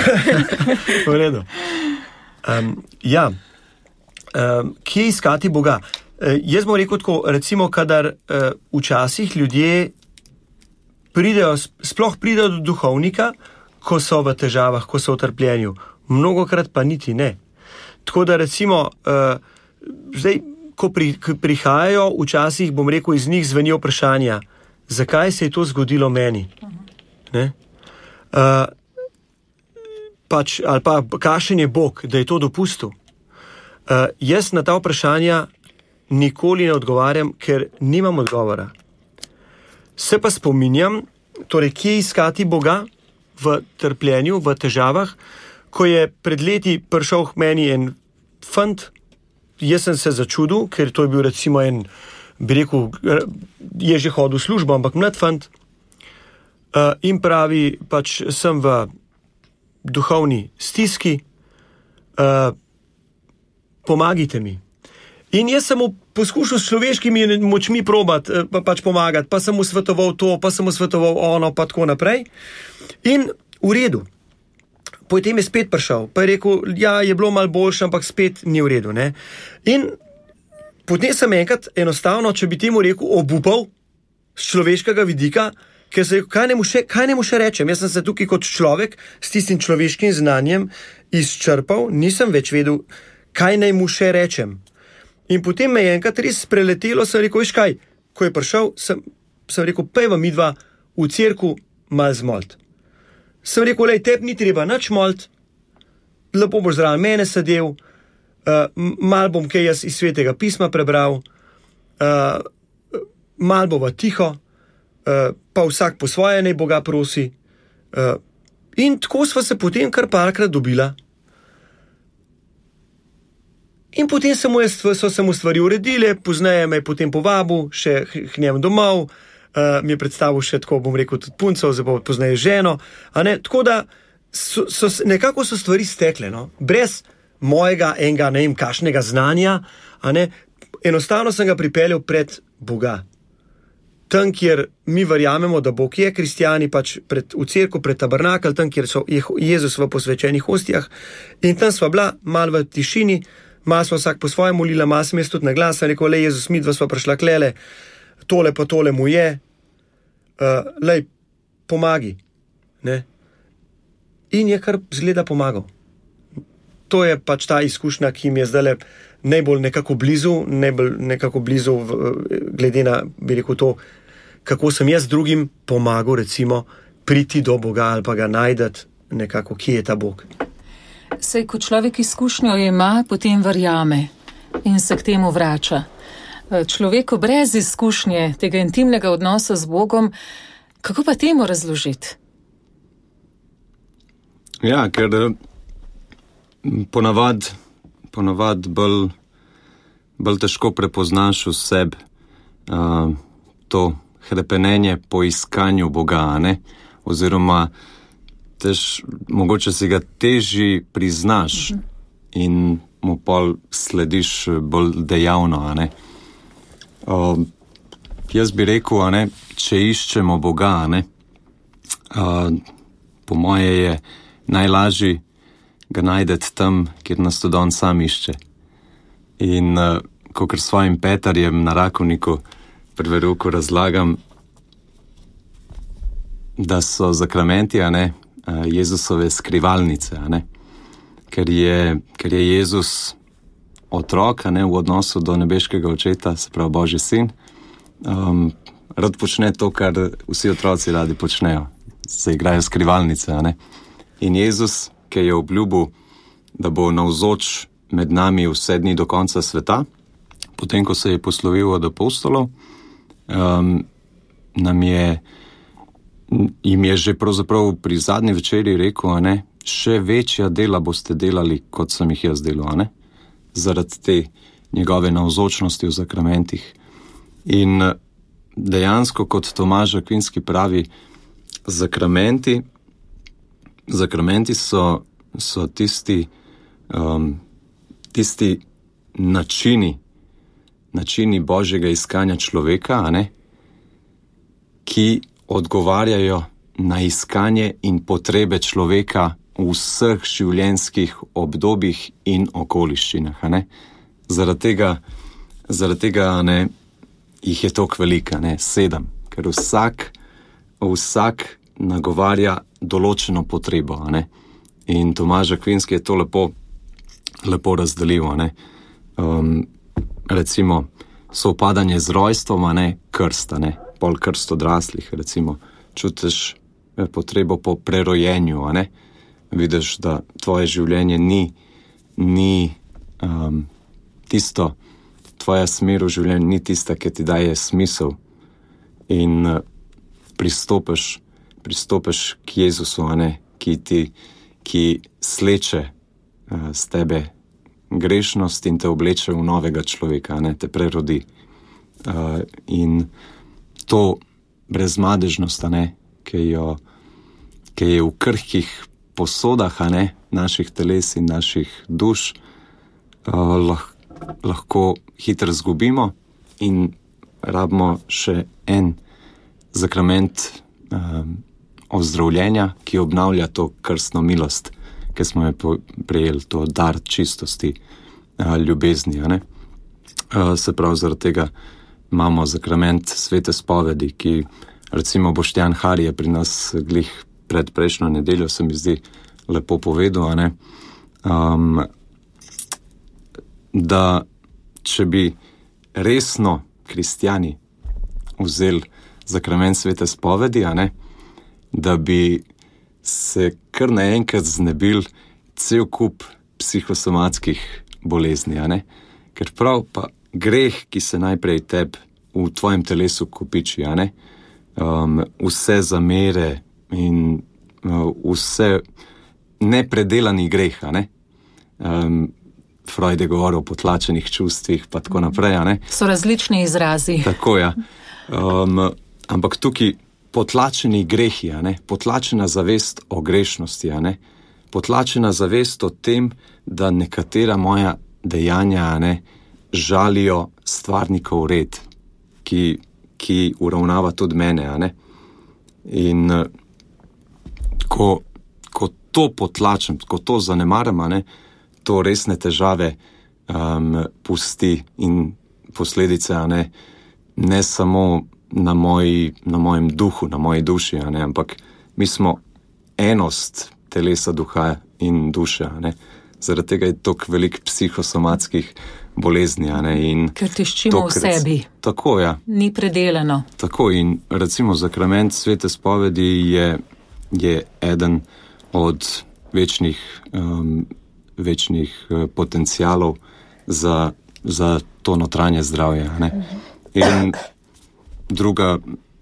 V redu. Kje iskati Boga? Jaz bom rekel tako, recimo, kadar včasih ljudje sploh pridejo do duhovnika, ko so v težavah, ko so v trpljenju. Mnogokrat pa niti ne. Tako da recimo, zdaj, ko prihajajo, včasih, bom rekel, iz njih zvenijo vprašanja, zakaj se je to zgodilo meni? Ne? Ali pa kakšen je Bog, da je to dopustil? Jaz na ta vprašanja nikoli ne odgovarjam, ker nimam odgovora. Se pa spominjam, torej, kje iskati Boga v trpljenju, v težavah, ko je pred leti prišel k meni en fant, jaz sem se začudil, ker to je bil recimo en, bi rekel, je že hodil v službo, ampak mlad fant, in pravi, pač sem v duhovni stiski, pomagajte mi. In jaz sem mu poskušal s človeškimi močmi probati, pač pomagati, pa sem mu svetoval to, pa sem mu svetoval ono, pa tako naprej. In v redu. Potem je spet prišel, pa je rekel, ja, je bilo malo boljše, ampak spet ni v redu, ne. In potem sem enkrat enostavno, če bi temu rekel, obupal z človeškega vidika, ker se je rekel, kaj ne mu še rečem. Jaz sem se tukaj kot človek s tistim človeškim znanjem izčrpal, nisem več vedel, kaj naj mu še rečem. In potem me je enkrat res preletelo, sem rekel, veš kaj, ko je prišel, sem rekel, pejva midva v cerku mal zmolt. Sem rekel, lej, tebi ni treba nič molt, lepo boš zraven mene sedel, mal bom kaj jaz iz Svetega pisma prebral, mal bova tiho, pa vsak po svoje naj Boga prosi. In tako sva se potem kar parkrat dobila. In potem so se mu stvari uredile, pozneje me je potem povabil še k njemu domov, mi je predstavil še tako, bom rekel, tudi punco, zdaj pa pozneje ženo. Tako da nekako so stvari stekle, no? Brez mojega enega, ne vem, kakšnega znanja, enostavno sem ga pripeljal pred Boga. Tam, kjer mi verjamemo, da Bog je, kristjani, pač v cerku, pred tabernakelj, tam, kjer so Jezus v posvečenih hostijah, in tam sva bila malo v tišini, malo sva vsak po svoje molila, malo sem jaz tudi na glas, rekel, lej, Jezus, midva sva prišla klele, tole pa tole mu je, lej, pomagi, ne. In je kar zgleda pomagal. To je pač ta izkušnja, ki mi je zdajle najbolj nekako blizu, glede na, bi rekel, to, kako sem jaz drugim pomagal, recimo, priti do Boga ali pa ga najdeti nekako, kje je ta Bog. Sej, ko človek izkušnjo ima, potem verjame in se k temu vrača. Človeku brez izkušnje tega intimnega odnosa z Bogom, kako pa temu razložiti? Ja, ker ponavad bolj težko prepoznaš v sebi to hrepenenje po iskanju Boga, ne? Oziroma mogoče si ga težji priznaš in mu pol slediš bolj dejavno, a ne. Jaz bi rekel, a ne, če iščemo Boga, a ne, po moje je najlažji ga najdeti tam, kjer nas tudi on sam išče. In kakor svojim Petarjem na Rakovniku pri verouku razlagam, da so zakramenti, a ne, Jezusove skrivalnice, a ne? Ker je Jezus otrok, a ne, v odnosu do nebeškega očeta, se pravi Božji sin, rad počne to, kar vsi otroci radi počnejo. Se igrajo skrivalnice, a ne? In Jezus, ki je obljubil, da bo navzoč med nami vse dni do konca sveta, potem, ko se je poslovil od apostolov, jim je že pravzaprav pri zadnji večeri rekel, a ne, še večja dela boste delali, kot sem jih jaz delal, a ne, zaradi te njegove navzočnosti v zakramentih. In dejansko, kot Tomaž Akvinski pravi, zakramenti so tisti načini Božjega iskanja človeka, a ne, ki odgovarjajo na iskanje in potrebe človeka v vseh življenjskih obdobjih in okoliščinah. Zaradi tega jih je toliko veliko, 7, ker vsak nagovarja določeno potrebo. In Tomaž Akvinski je to lepo razdelil. Recimo sovpadanje z rojstvom, krst, pol krst odraslih, recimo čutiš potrebo po prerojenju, vidiš, da tvoje življenje ni tisto, tvoja smer v življenju ni tista, ki ti daje smisel in pristopiš k Jezusu, ki sleče z tebe grešnost in te obleče v novega človeka, te prerodi. In to brezmadežnost, ki je v krhkih posodah, naših teles in naših duš, lahko hitro zgubimo in rabimo še en sakrament ozdravljenja, ki obnavlja to krstno milost, ki smo jo prejeli, to dar čistosti, ljubezni. Se pravi, zaradi tega imamo sakrament svete spovedi, ki recimo Boštjan Hari je pri nas glih pred prejšnjo nedeljo, se mi zdi lepo povedal, da če bi resno kristjani vzeli sakrament svete spovedi, da bi se kar naenkrat znebil cel kup psihosomatskih bolezni, ker prav pa greh, ki se najprej v tvojem telesu kopiči, vse zamere in vse nepredelani greh, Freud je govoril o potlačenih čustvih, pa tako naprej, So različni izrazi. Tako, ja. Ampak tukaj potlačeni grehi, potlačena zavest o grešnosti, potlačena zavest o tem, da nekatera moja dejanja, žalijo stvarnikov red, ki uravnava tudi mene, In ko to potlačem, ko to zanemarim, to resne težave pusti in posledice, ne samo na mojem duhu, na moji duši, ampak mi smo enost telesa, duha in duše, Zaradi tega je toliko veliko psihosomatskih bolezni, in ker tiščimo v sebi. Tako, ja. Ni predelano. Tako, in recimo sakrament svete spovedi je eden od večnih potencialov za to notranje zdravje, In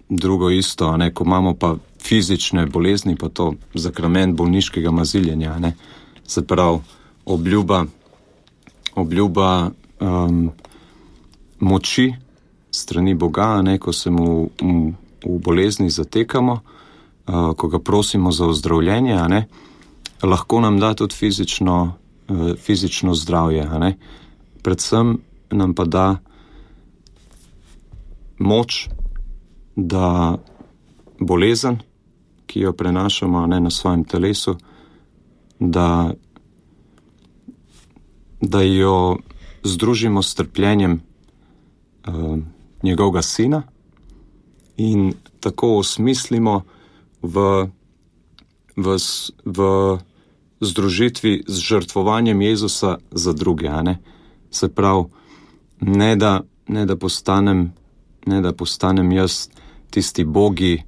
drugo isto, ko imamo pa fizične bolezni, pa to sakrament bolniškega maziljenja, Se pravi, obljuba moči strani Boga, ko se mu v bolezni zatekamo, ko ga prosimo za ozdravljenje, lahko nam da tudi fizično zdravje, Predvsem nam pa da moč, da bolezen, ki jo prenašamo na svojem telesu, da jo združimo s trpljenjem njegovega sina in tako osmislimo v združitvi z žrtvovanjem Jezusa za druge, Se pravi, ne da postanem jaz tisti bogi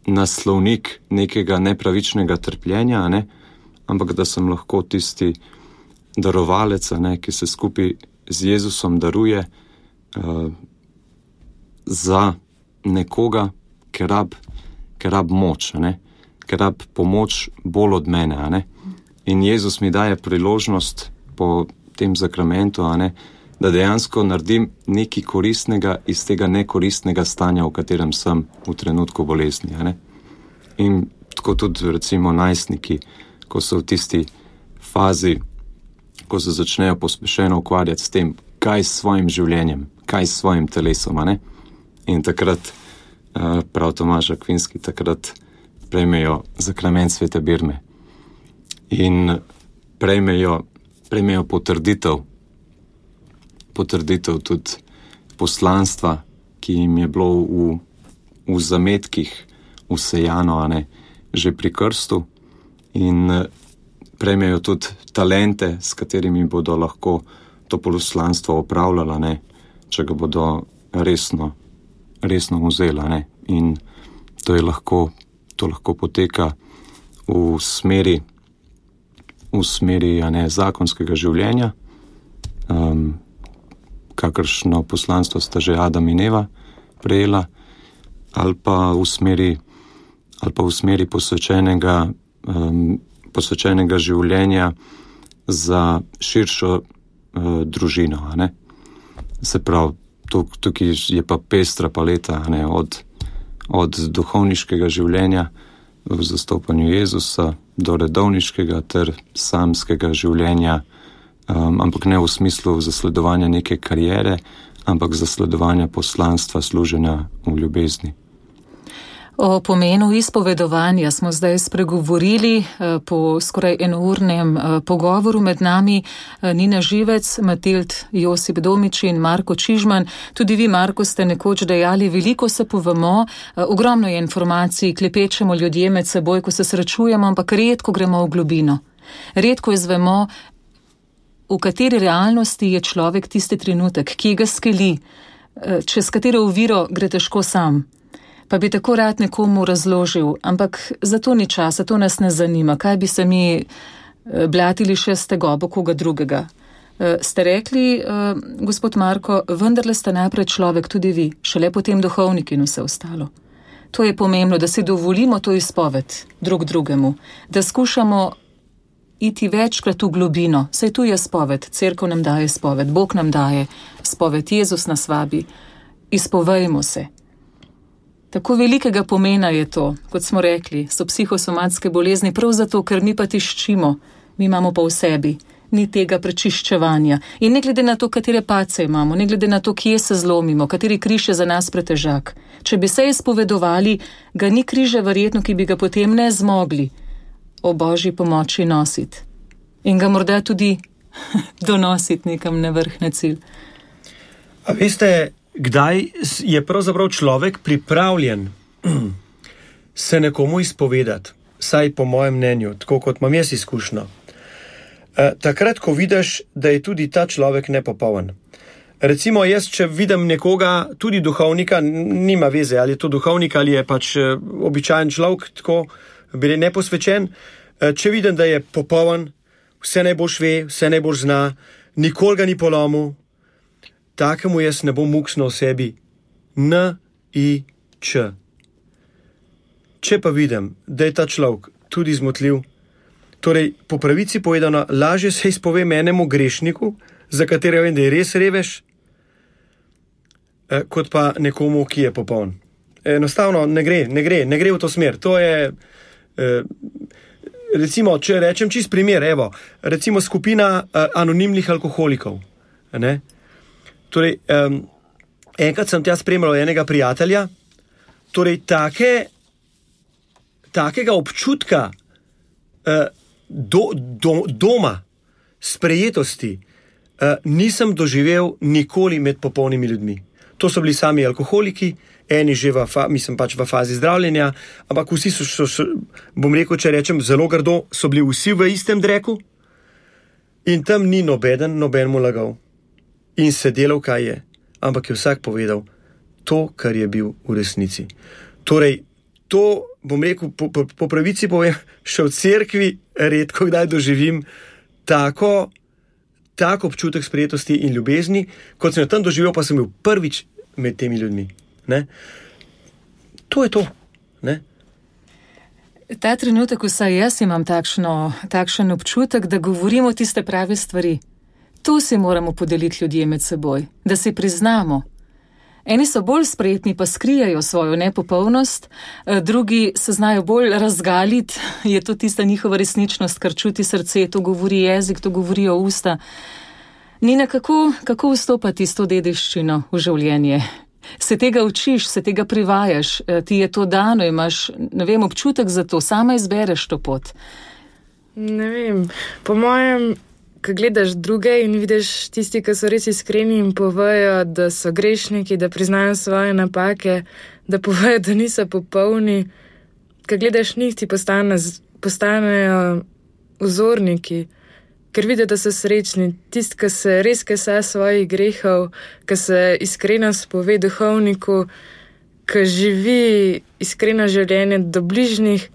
naslovnik nekega nepravičnega trpljenja, ampak da sem lahko tisti darovalec, ki se skupaj z Jezusom daruje za nekoga, ki rab moč, ki rab pomoč bolj od mene, In Jezus mi daje priložnost po tem sakramentu, da dejansko naredim nekaj koristnega iz tega nekoristnega stanja, v katerem sem v trenutku bolezni, In tako tudi recimo najstniki, ko so v tisti fazi, ko se začnejo pospešeno ukvarjati s tem, kaj s svojim življenjem, kaj s svojim telesom, In takrat, prav Tomaž Akvinski, takrat sprejmejo zakrament svete birme in prejmejo potrditev tudi poslanstva, ki jim je bilo v zametkih vsejano, že pri krstu, in prejmejo tudi talente, s katerimi bodo lahko to poslanstvo opravljala, če ga bodo resno vzela. In to lahko poteka v smeri zakonskega življenja, kakršno poslanstvo sta že Adam in Eva prejela, ali pa v smeri posvečenega življenja za širšo družino. Se pravi, tukaj je pa pestra paleta, od duhovniškega življenja v zastopanju Jezusa do redovniškega ter samskega življenja, ampak ne v smislu zasledovanja neke kariere, ampak zasledovanja poslanstva, služenja v ljubezni. O pomenu izpovedovanja smo zdaj spregovorili po skoraj enournem pogovoru med nami Nina Živec, Matild Josip Domič in Marko Čižman. Tudi vi, Marko, ste nekoč dejali, veliko se povemo, ogromno je informacij, klepečemo ljudje med seboj, ko se srečujemo, ampak redko gremo v globino. Redko izvemo, v kateri realnosti je človek tisti trenutek, ki ga skeli, čez katero oviro gre težko sam. Pa bi tako rad nekomu razložil, ampak za to ni časa, to nas ne zanima. Kaj bi se mi blatili še z tegobo koga drugega? Ste rekli, gospod Marko, vendarle ste najprej človek, tudi vi, šele potem duhovnik in vse ostalo. To je pomembno, da si dovolimo to izpoved drug drugemu, da skušamo iti večkrat v globino. Saj tu je spoved, cerkev nam daje spoved, Bog nam daje spoved, Jezus nas vabi. Izpovejmo se. Tako velikega pomena je to, kot smo rekli, so psihosomatske bolezni, prav zato, ker mi pa tiščimo, mi imamo pa v sebi, ni tega prečiščevanja. In ne glede na to, katere pace imamo, ne glede na to, kje se zlomimo, kateri križ je za nas pretežak. Če bi se izpovedovali, ga ni križa verjetno, ki bi ga potem ne zmogli o Božji pomoči nositi. In ga morda tudi donositi nekam na vrh, na cilj. A veste, kdaj je pravzaprav človek pripravljen se nekomu izpovedati, saj po mojem mnenju, tako kot imam jaz izkušnjo. Takrat, ko vidiš, da je tudi ta človek nepopoln. Recimo jaz, če vidim nekoga, tudi duhovnika, nima veze, ali je to duhovnik, ali je pač običajen človek, tako bi neposvečen, če vidim, da je popoln, vse najboljš ve, vse najboljš zna, nikoli ga ni polomil, takemu jaz ne bom muksno o sebi N-I-Č. Če pa vidim, da je ta človek tudi zmotljiv, torej po pravici povedano, lažje se izpovem enemu grešniku, za katerega vem, da je res revež, kot pa nekomu, ki je popoln. Enostavno ne gre v to smer. To je, recimo, če rečem čist primer, recimo skupina anonimnih alkoholikov, ne? Torej, enkrat sem tja spremljal enega prijatelja, torej takega občutka doma, sprejetosti, nisem doživel nikoli med popolnimi ljudmi. To so bili sami alkoholiki, eni že v fazi zdravljenja, ampak vsi so, bom rekel, če rečem zelo grdo, so bili vsi v istem dreku in tam ni noben mu lagal. In se delal, kaj je, ampak je vsak povedal to, kar je bil v resnici. Torej, to, bom rekel, po pravici povem, še v cerkvi redko kdaj doživim tako občutek sprejetosti in ljubezni, kot sem jo tam doživel, pa sem bil prvič med temi ljudmi. Ne? To je to. Ne? Ta trenutek vsaj jaz imam takšen občutek, da govorimo tiste prave stvari. Tu si moramo podeliti ljudje med seboj, da si priznamo. Eni so bolj spretni, pa skrijajo svojo nepopolnost, drugi se znajo bolj razgaliti, je to tista njihova resničnost, kar čuti srce, to govori jezik, to govorijo usta. Nina, kako vstopati s to dediščino v življenje? Se tega učiš, se tega privajaš, ti je to dano, imaš, ne vem, občutek za to, sama izbereš to pot. Ne vem, po mojem, ko gledaš druge in vidiš tisti, ki so res iskreni in povejo, da so grešniki, da priznajo svoje napake, da povejo, da niso popolni, ko gledaš njih, ti postanejo vzorniki, ker vidijo, da so srečni. Tisti, ki se res kese svojih grehov, ki se iskreno spove duhovniku, ki živi iskreno življenje do bližnjih,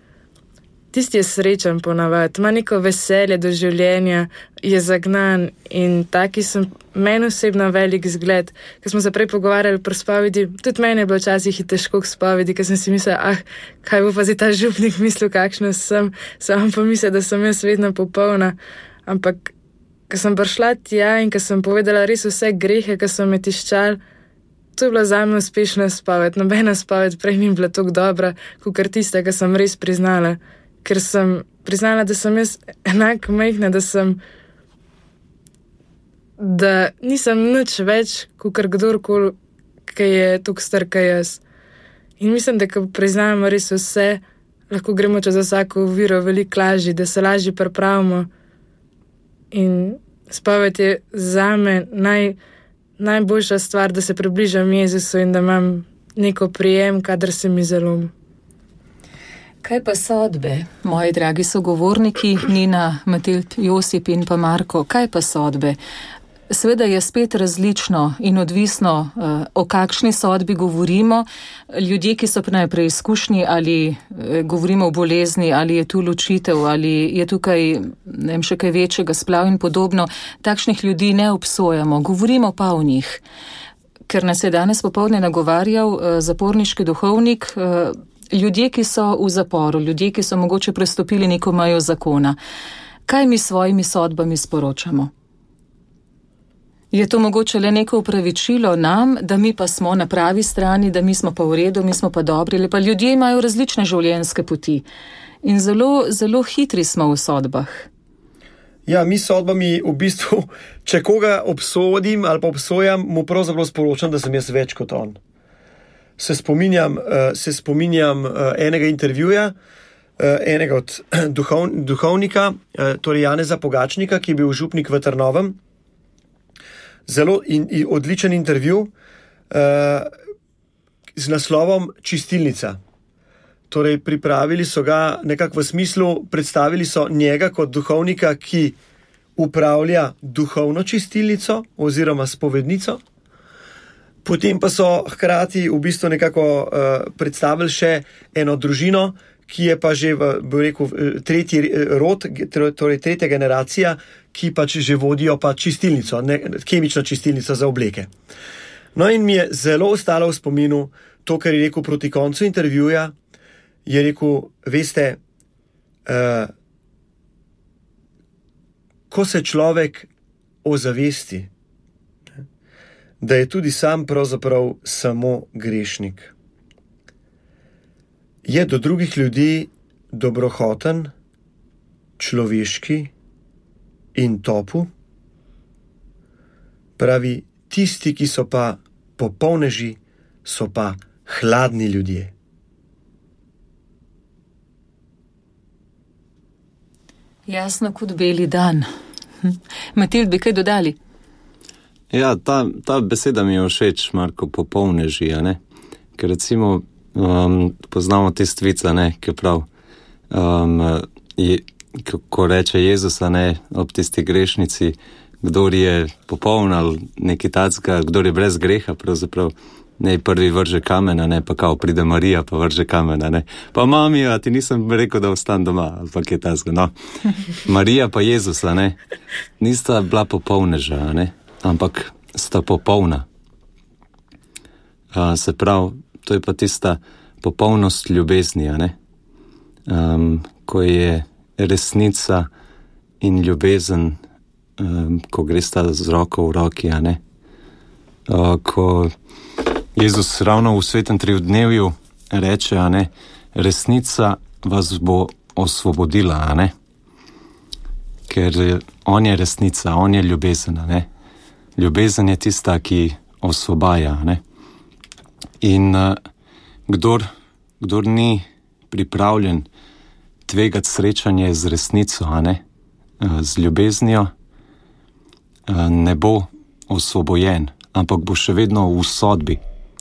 tisti je srečen ponavadi, ima neko veselje do življenja, je zagnan in taki so meni osebno velik zgled. Ko smo se prej pogovarjali pri spovedi, tudi meni je bilo včasih težko k spovedi, ker sem si mislila, kaj bo pa zdaj ta župnik mislil, kakšna sem, sam pa mislila, da sem jaz vedno popolna. Ampak, ko sem prišla tja in ko sem povedala res vse grehe, ko so me tiščali, to je bila zame uspešna spoved. Nobena spoved prej ni bila tako dobra, kakor tista, ko sem res priznala. Ker sem priznala, da sem jaz enako majhna, da nisem nič več, kakor kdorkoli, ki je tako star, kot jaz. In mislim, da ko priznamo res vse, lahko gremo čez vsako oviro veliko lažje, da se lažje pripravimo. In spoved je zame najboljša stvar, da se približam Jezusu in da imam neko prijem, kadar se mi zalomi. Kaj pa sodbe, moji dragi sogovorniki, Nina, Matild, Josip in pa Marko, kaj pa sodbe? Seveda je spet različno in odvisno, o kakšni sodbi govorimo. Ljudje, ki so na preizkušnji, ali govorimo o bolezni, ali je tu ločitev, ali je tukaj še kaj večjega, splav in podobno, takšnih ljudi ne obsojamo, govorimo pa o njih. Ker nas je danes popoldne nagovarjal zaporniški duhovnik, ljudje, ki so v zaporu, ljudje, ki so mogoče prestopili neko mejo zakona. Kaj mi s svojimi sodbami sporočamo? Je to mogoče le neko upravičilo nam, da mi pa smo na pravi strani, da mi smo pa v redu, mi smo pa dobri, ali pa ljudje imajo različne življenjske poti. In zelo, zelo hitri smo v sodbah. Ja, mi sodbami v bistvu, če koga obsodim ali pa obsojam, mu pravzaprav sporočam, da sem jaz več kot on. Se spominjam enega intervjuja, enega od duhovnika, torej Janeza Pogačnika, ki je bil župnik v Trnovem. Zelo odličen intervju z naslovom Čistilnica. Torej, pripravili so ga nekako v smislu, predstavili so njega kot duhovnika, ki upravlja duhovno čistilnico oziroma spovednico. Potem pa so hkrati v bistvu nekako predstavili še eno družino, ki je pa že, bi rekel, tretji rod, torej tretja generacija, ki pač že vodijo pa čistilnico, kemično čistilnico za obleke. No in mi je zelo ostalo v spominu to, kar je rekel proti koncu intervjuja, je rekel, veste, ko se človek ozavesti, da je tudi sam pravzaprav samo grešnik. Je do drugih ljudi dobrohoten, človeški in topu. Pravi, tisti, ki so pa popolneži, so pa hladni ljudje. Jasno kot beli dan. Matild, bi kaj dodali? Ja, ta beseda mi je všeč, Marko, popolneži, a ne? Ker recimo poznamo te stvica, ne, ki prav, ko reče Jezus, ne, ob tisti grešnici, kdor je popoln ali nekaj tacka, kdor je brez greha, pravzaprav, ne, prvi vrže kamena, ne, pa kao pride Marija, pa vrže kamena, ne, pa mami, a ti nisem rekel, da ostan doma, ali pa kaj tacka, no. Marija pa Jezus, ne, nista bila popolneža, ne, ampak sta popolna. Se pravi, to je pa tista popolnost ljubezni, ne? Ko je resnica in ljubezen, ko gre sta z roko v roki, ne? Ko Jezus ravno v svetem triodnevju reče, ne? Resnica vas bo osvobodila, ne? Ker on je resnica, on je ljubezen, ne? Ljubezen je tista, ki osvobaja, ne? In kdor ni pripravljen tvegati srečanje z resnico, z ljubeznijo, ne bo osvobojen, ampak bo še vedno v sodbi,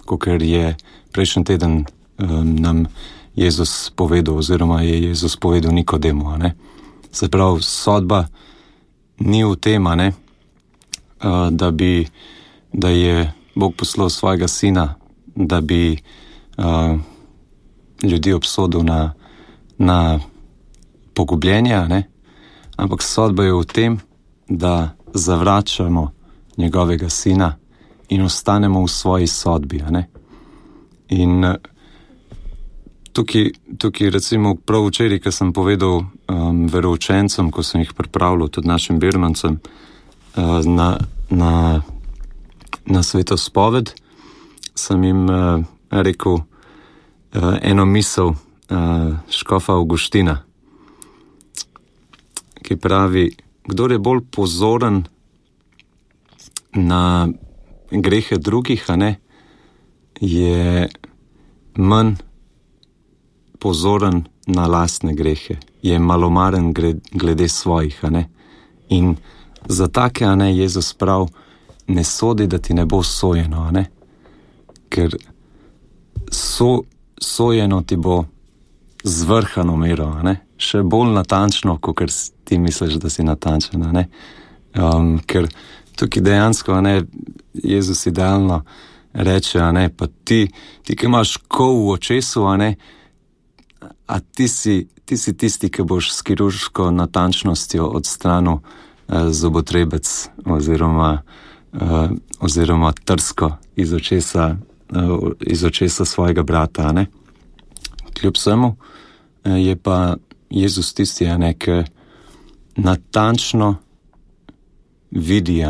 kakor je prejšnji teden nam Jezus povedal, oziroma je Jezus povedal Nikodemu. Se pravi, sodba ni v tem, da je Bog poslal svojega sina, da bi ljudi obsodil na pogubljenje, ampak sodba je v tem, da zavračamo njegovega sina in ostanemo v svoji sodbi. In tukaj recimo prav včeraj, ko sem povedal veroučencem, ko sem jih pripravljal, tudi našim birmancem, na svetospoved, sem jim rekel eno misel škofa Avguština, ki pravi, kdor je bolj pozoren na grehe drugih, je manj pozoren na lastne grehe, je malomaren glede svojih. In za take, Jezus prav, ne sodi, da ti ne bo sojeno, ker sojeno ti bo z vrhano mero, še bolj natančno, kot ti misliš, da si natančen. Ker tukaj dejansko Jezus idealno reče, pa ti, ki imaš kol v očesu, a ti si tisti, ki boš s kirurško natančnostjo odstranil zobotrebec oziroma trsko iz očesa svojega brata. Kljub vsemu je pa Jezus tisti, ki natančno vidi,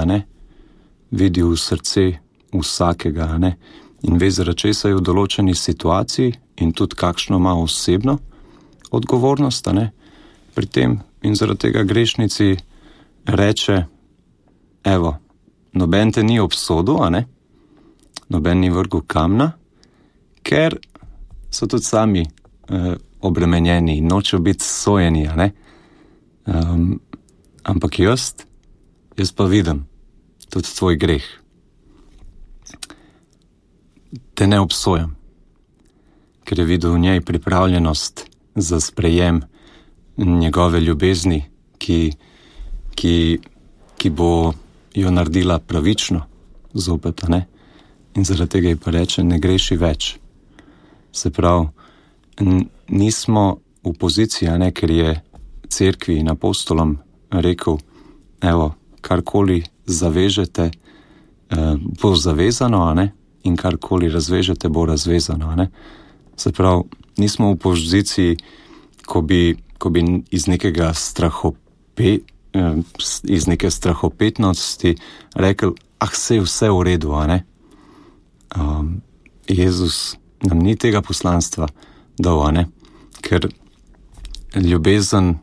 vidi v srce vsakega, in ve, zaradi česa je v določeni situaciji in tudi kakšno ima osebno odgovornost, pri tem, in zaradi tega grešnici reče, evo, noben te ni obsodil, noben ni vrgel kamna, ker so tudi sami obremenjeni in nočejo biti sojeni, ampak jaz pa vidim tudi tvoj greh. Te ne obsojam, ker je videl v njej pripravljenost za sprejem njegove ljubezni, ki bo jo naredila pravično zopet, in zaradi tega ji pa reče, ne greši več. Se pravi, nismo v poziciji, ker je cerkvi in apostolom rekel, evo, karkoli zavežete, bo zavezano, in karkoli razvežete, bo razvezano. Se pravi, nismo v poziciji, ko bi iz neke strahopetnosti rekel, saj vse v redu, Jezus nam ni tega poslanstva dal, ker ljubezen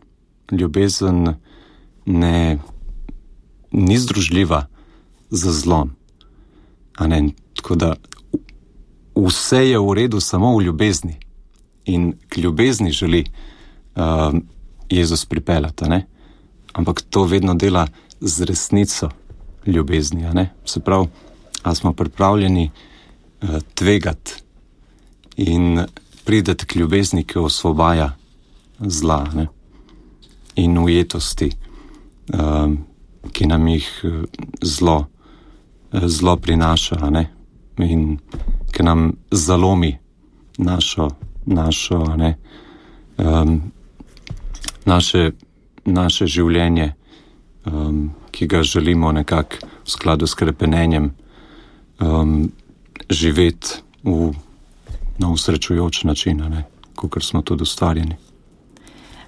ni združljiva z zlom. Tako da vse je v redu samo v ljubezni. In k ljubezni želi Jezus pripeljati, ampak to vedno dela z resnico ljubezni. Se pravi, a smo pripravljeni tvegati in prideti k ljubezni, ki osvobaja zla, in ujetosti, ki nam jih zlo prinaša, in ki nam zalomi naše življenje, ki ga želimo nekako v skladu s krepenenjem živeti na usrečujoč način, kakor smo tudi ustvarjeni.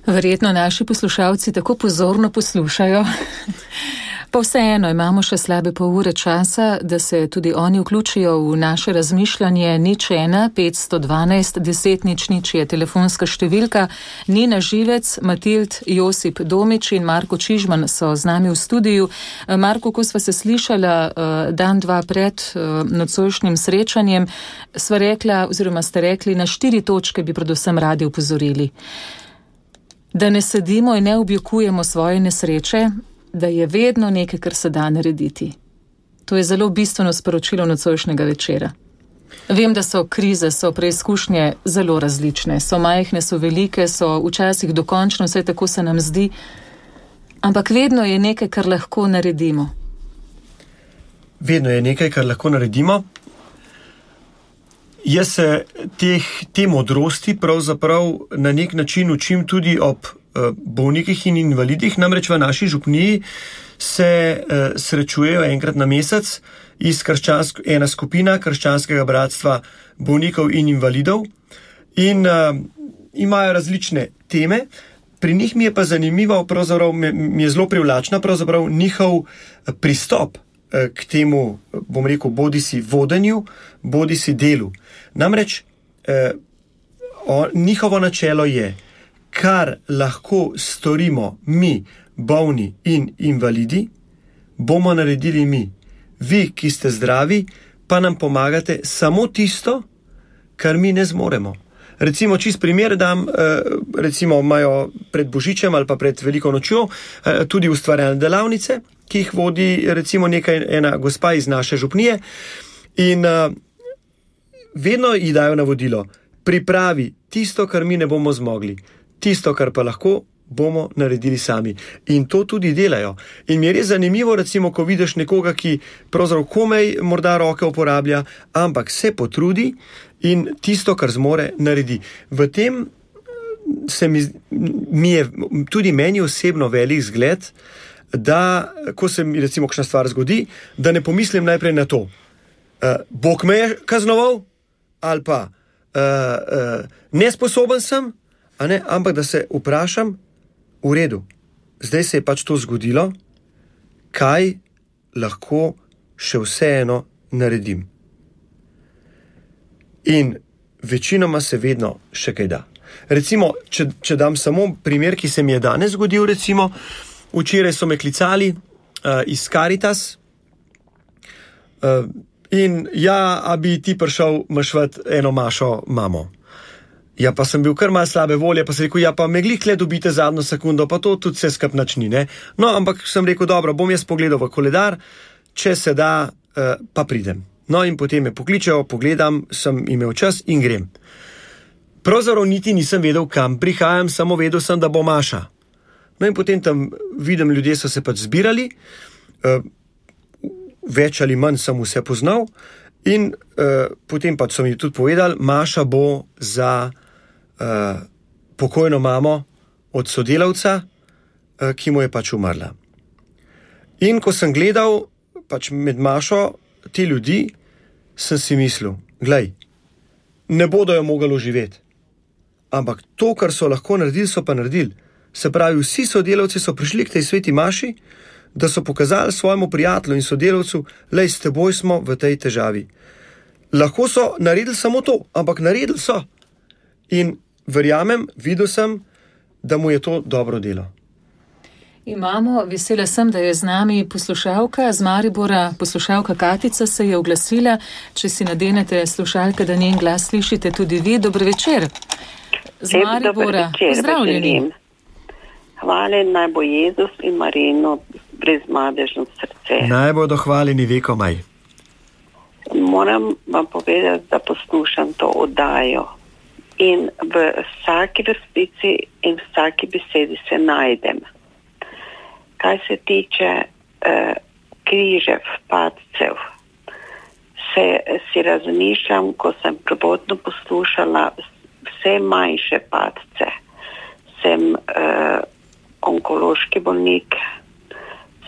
Verjetno naši poslušalci tako pozorno poslušajo, Pa vseeno imamo še slabe pol ure časa, da se tudi oni vključijo v naše razmišljanje. 01 512 10 00 je telefonska številka. Nina Živec, Matild Josip Domič in Marko Čižman so z nami v studiu. Marko, ko sva se slišala dan, dva pred nocojšnjim srečanjem, sva rekla, oziroma ste rekli, na 4 točke bi predvsem radi upozorili. Da ne sedimo in ne objokujemo svoje nesreče, da je vedno nekaj, kar se da narediti. To je zelo bistveno sporočilo nocojšnjega večera. Vem, da so krize, so preizkušnje zelo različne, so majhne, so velike, so včasih dokončno, vse tako se nam zdi, ampak vedno je nekaj, kar lahko naredimo. Vedno je nekaj, kar lahko naredimo. Jaz se te modrosti pravzaprav na nek način učim tudi ob bolnikih in invalidih, namreč v naši župniji se srečujejo enkrat na mesec ena skupina krščanskega bratstva bolnikov in invalidov in imajo različne teme. Pri njih mi je pa zanimivo, pravzaprav mi je zelo privlačna pravzaprav njihov pristop k temu, bom rekel, bodisi vodenju, bodisi delu. Namreč njihovo načelo je, kar lahko storimo mi, bolni in invalidi, bomo naredili mi. Vi, ki ste zdravi, pa nam pomagate samo tisto, kar mi ne zmoremo. Recimo, čist primer dam, recimo imajo pred Božičem ali pa pred Veliko nočjo tudi ustvarjalne delavnice, ki jih vodi recimo ena gospa iz naše župnije in vedno ji dajo navodilo, pripravi tisto, kar mi ne bomo zmogli, tisto, kar pa lahko, bomo naredili sami. In to tudi delajo. In mi je res zanimivo, recimo, ko vidiš nekoga, ki pravzaprav komaj morda roke uporablja, ampak se potrudi in tisto, kar zmore, naredi. V tem mi je tudi meni osebno velik zgled, da, ko se mi recimo kakšna stvar zgodi, da ne pomislim najprej na to. Bog me je kaznoval, ali pa nesposoben sem, ampak da se vprašam, v redu, zdaj se je pač to zgodilo, kaj lahko še vseeno naredim. In večinoma se vedno še kaj da. Recimo, če dam samo primer, ki se mi je danes zgodil, recimo, včeraj so me klicali iz Caritas in a bi ti prišel mašvat eno Mašo mamo. Ja, pa sem bil kar malo slabe volje, pa sem rekel, pa me glih tle dobite zadnjo sekundo, pa to tudi se skap nič ni, ne. No, ampak sem rekel, dobro, bom jaz pogledal v koledar, če se da, pa pridem. No, in potem me pokličejo, pogledam, sem imel čas in grem. Pravzaprav niti nisem vedel, kam prihajam, samo vedel sem, da bo Maša. No, in potem tam vidim, ljudje so se pač zbirali, več ali manj sem vse poznal in potem pač so mi tudi povedali, Maša bo za pokojno mamo od sodelavca, ki mu je pač umrla. In ko sem gledal pač med Mašo te ljudi, sem si mislil, glej, ne bodo jo mogli oživeti, ampak to, kar so lahko naredili, so pa naredili. Se pravi, vsi sodelavci so prišli k tej sveti Maši, da so pokazali svojemu prijatelju in sodelavcu, lej, s teboj smo v tej težavi. Lahko so naredili samo to, ampak naredili so. In verjamem, videl sem, da mu je to dobro delo. Imamo, vesela sem, da je z nami poslušalka z Maribora, poslušalka Katica se je oglasila, če si nadenete slušalke, da njen glas slišite tudi vi. Dober večer. Z Maribora, pozdravljeni. Hvala, naj bo Jezus in Marino brezmadežno srce. Naj bodo hvaljeni vekomaj. Moram vam povedati, da poslušam to oddajo in v vsaki vrstici in vsaki besedi se najdem. Kaj se tiče križev, padcev, si razmišljam, ko sem prvotno poslušala vse manjše padce. Sem onkološki bolnik,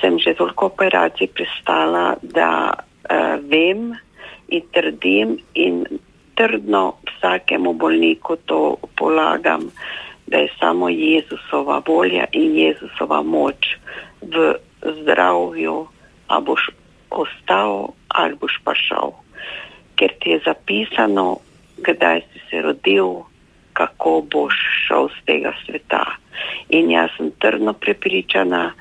sem že toliko operacij prestala, da vem in trdim in trdno vsakemu bolniku to polagam, da je samo Jezusova volja in Jezusova moč v zdravju, a boš ostal ali boš pa šel. Ker ti je zapisano, kdaj si se rodil, kako boš šel z tega sveta. In jaz sem trdno prepričana,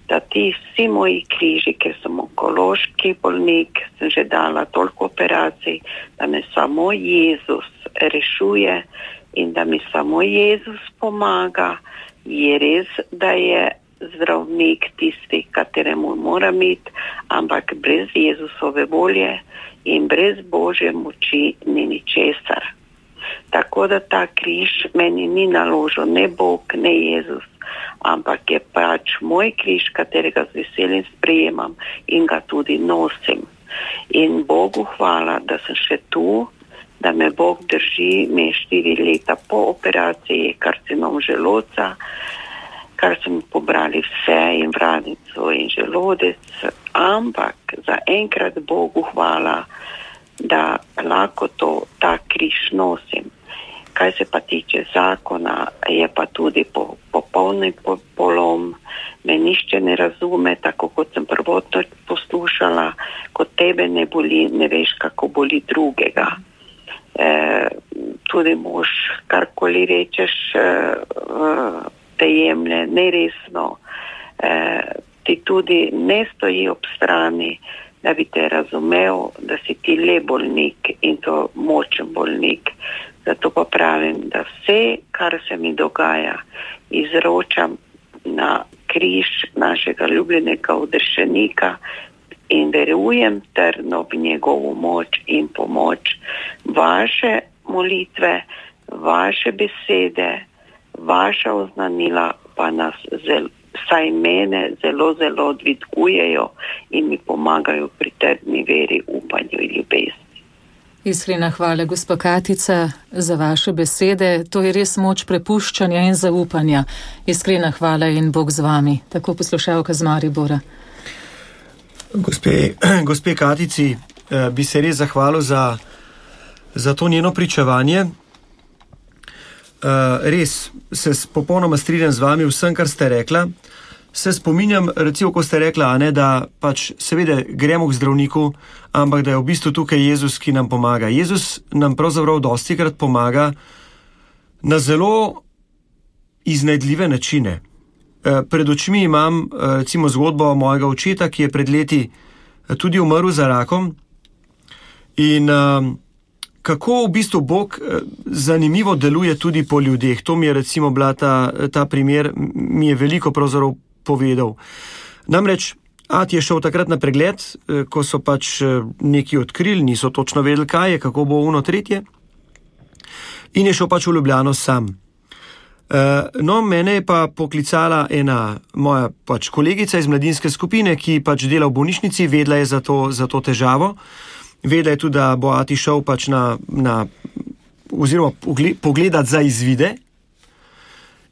da ti vsi moji križi, ker sem onkološki bolnik, sem že dala toliko operacij, da me samo Jezus rešuje in da mi samo Jezus pomaga. Je res, da je zdravnik tisti, kateremu mora imeti, ampak brez Jezusove volje in brez Božje moči ni ničesar. Tako da ta križ meni ni naložil ne Bog, ne Jezus, ampak je pač moj križ, katerega z veseljem sprejemam in ga tudi nosim. In Bogu hvala, da sem še tu, da me Bog drži, me je 4 leta po operaciji karcinom želodca, kar so mi pobrali vse in vradnico in želodec, ampak za enkrat Bogu hvala, da lahko ta križ nosim. Kaj se pa tiče zakona, je pa tudi popolni polom, me nišče ne razume, tako kot sem prvotno poslušala, ko tebe ne boli, ne veš, kako boli drugega. Tudi mož, karkoli rečeš, te jemlje neresno, ti tudi ne stoji ob strani, da bi te razumel, da si ti le bolnik in to močen bolnik. Zato pa pravim, da vse, kar se mi dogaja, izročam na križ našega ljubljenega odrešenika in verujem trdno v njegovo moč in pomoč. Vaše molitve, vaše besede, vaša oznanila pa nas saj mene zelo, zelo dvigujejo in mi pomagajo pri trdni veri, upanju in ljubezni. Iskrena hvala, gospa Katica, za vaše besede. To je res moč prepuščanja in zaupanja. Iskrena hvala in Bog z vami. Tako poslušalka z Maribora. Gospe Katici, bi se res zahvalil za to njeno pričevanje. Res, se popolnoma strinjam z vami vsem, kar ste rekla. Se spominjam, recimo, ko ste rekla, da pač seveda gremo k zdravniku, ampak da je v bistvu tukaj Jezus, ki nam pomaga. Jezus nam pravzaprav dostikrat pomaga na zelo iznajdljive načine. Pred očmi imam recimo zgodbo mojega očeta, ki je pred leti tudi umrl za rakom in kako v bistvu Bog zanimivo deluje tudi po ljudeh. To mi je recimo bila ta primer, mi je veliko pravzaprav povedal. Namreč, Ati je šel takrat na pregled, ko so pač neki odkrili, niso točno vedeli, kaj je, kako bo ono tretje, in je šel pač v Ljubljano sam. No, mene je pa poklicala ena moja pač kolegica iz mladinske skupine, ki pač dela v bolnišnici, vedela je za to težavo. Vedela je tudi, da bo Ati šel pač oziroma pogledati za izvide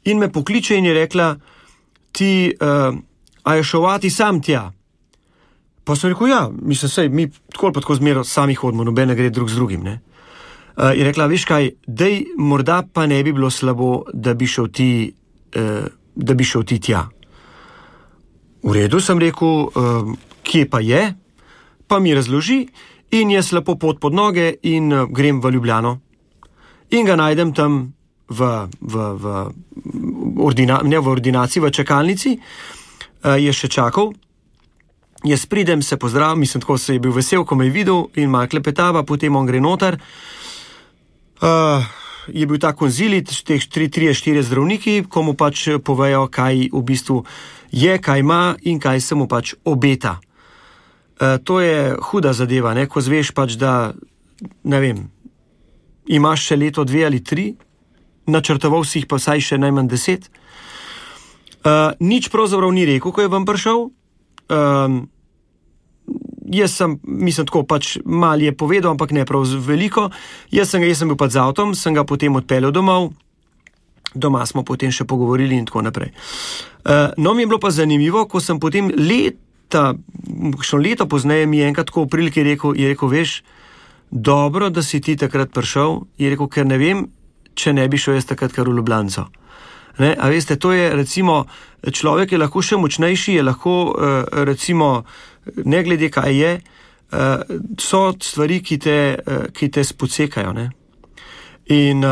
in me pokliče in je rekla, a je šel Ati sam tja? Pa sem rekel, ja, mislim, sej, mi tako pa tako zmeraj sami hodimo, nobene gre drug z drugim, ne. Je rekla, veš kaj, dej, morda pa ne bi bilo slabo, da bi šel ti tja. V redu, sem rekel, kje pa je, pa mi razloži in jaz lepo pot pod noge in grem v Ljubljano. In ga najdem tam v ordinaciji, v čakalnici, je še čakal. Jaz pridem, se pozdravim, mislim, tako se je bil vesel, ko me je videl in malo klepetava, potem on gre noter. Je bil ta konzilit, teh 3-4 zdravniki, ko mu pač povejo, kaj v bistvu je, kaj ima in kaj se mu pač obeta. To je huda zadeva, ne, ko zveš pač, da, ne vem, imaš še leto, 2 ali 3, načrtoval si jih pa vsaj še najmanj 10. Nič pravzaprav ni rekel, ko je vam prišel. Jaz sem, mislim tako, pač mal je povedal, ampak ne prav veliko. Jaz sem bil pač z avtom, sem ga potem odpeljal domov. Doma smo potem še pogovorili in tako naprej. No, mi je bilo pa zanimivo, ko sem potem leto pozneje mi je enkrat tako v priliki rekel, veš, dobro, da si ti takrat prišel, je rekel, ker ne vem, če ne bi šel jaz takrat kar v Ljubljanco. Ne? A veste, to je recimo, človek je lahko še močnejši, je lahko recimo, ne glede kaj je, so stvari, ki te spocekajo. Ne? In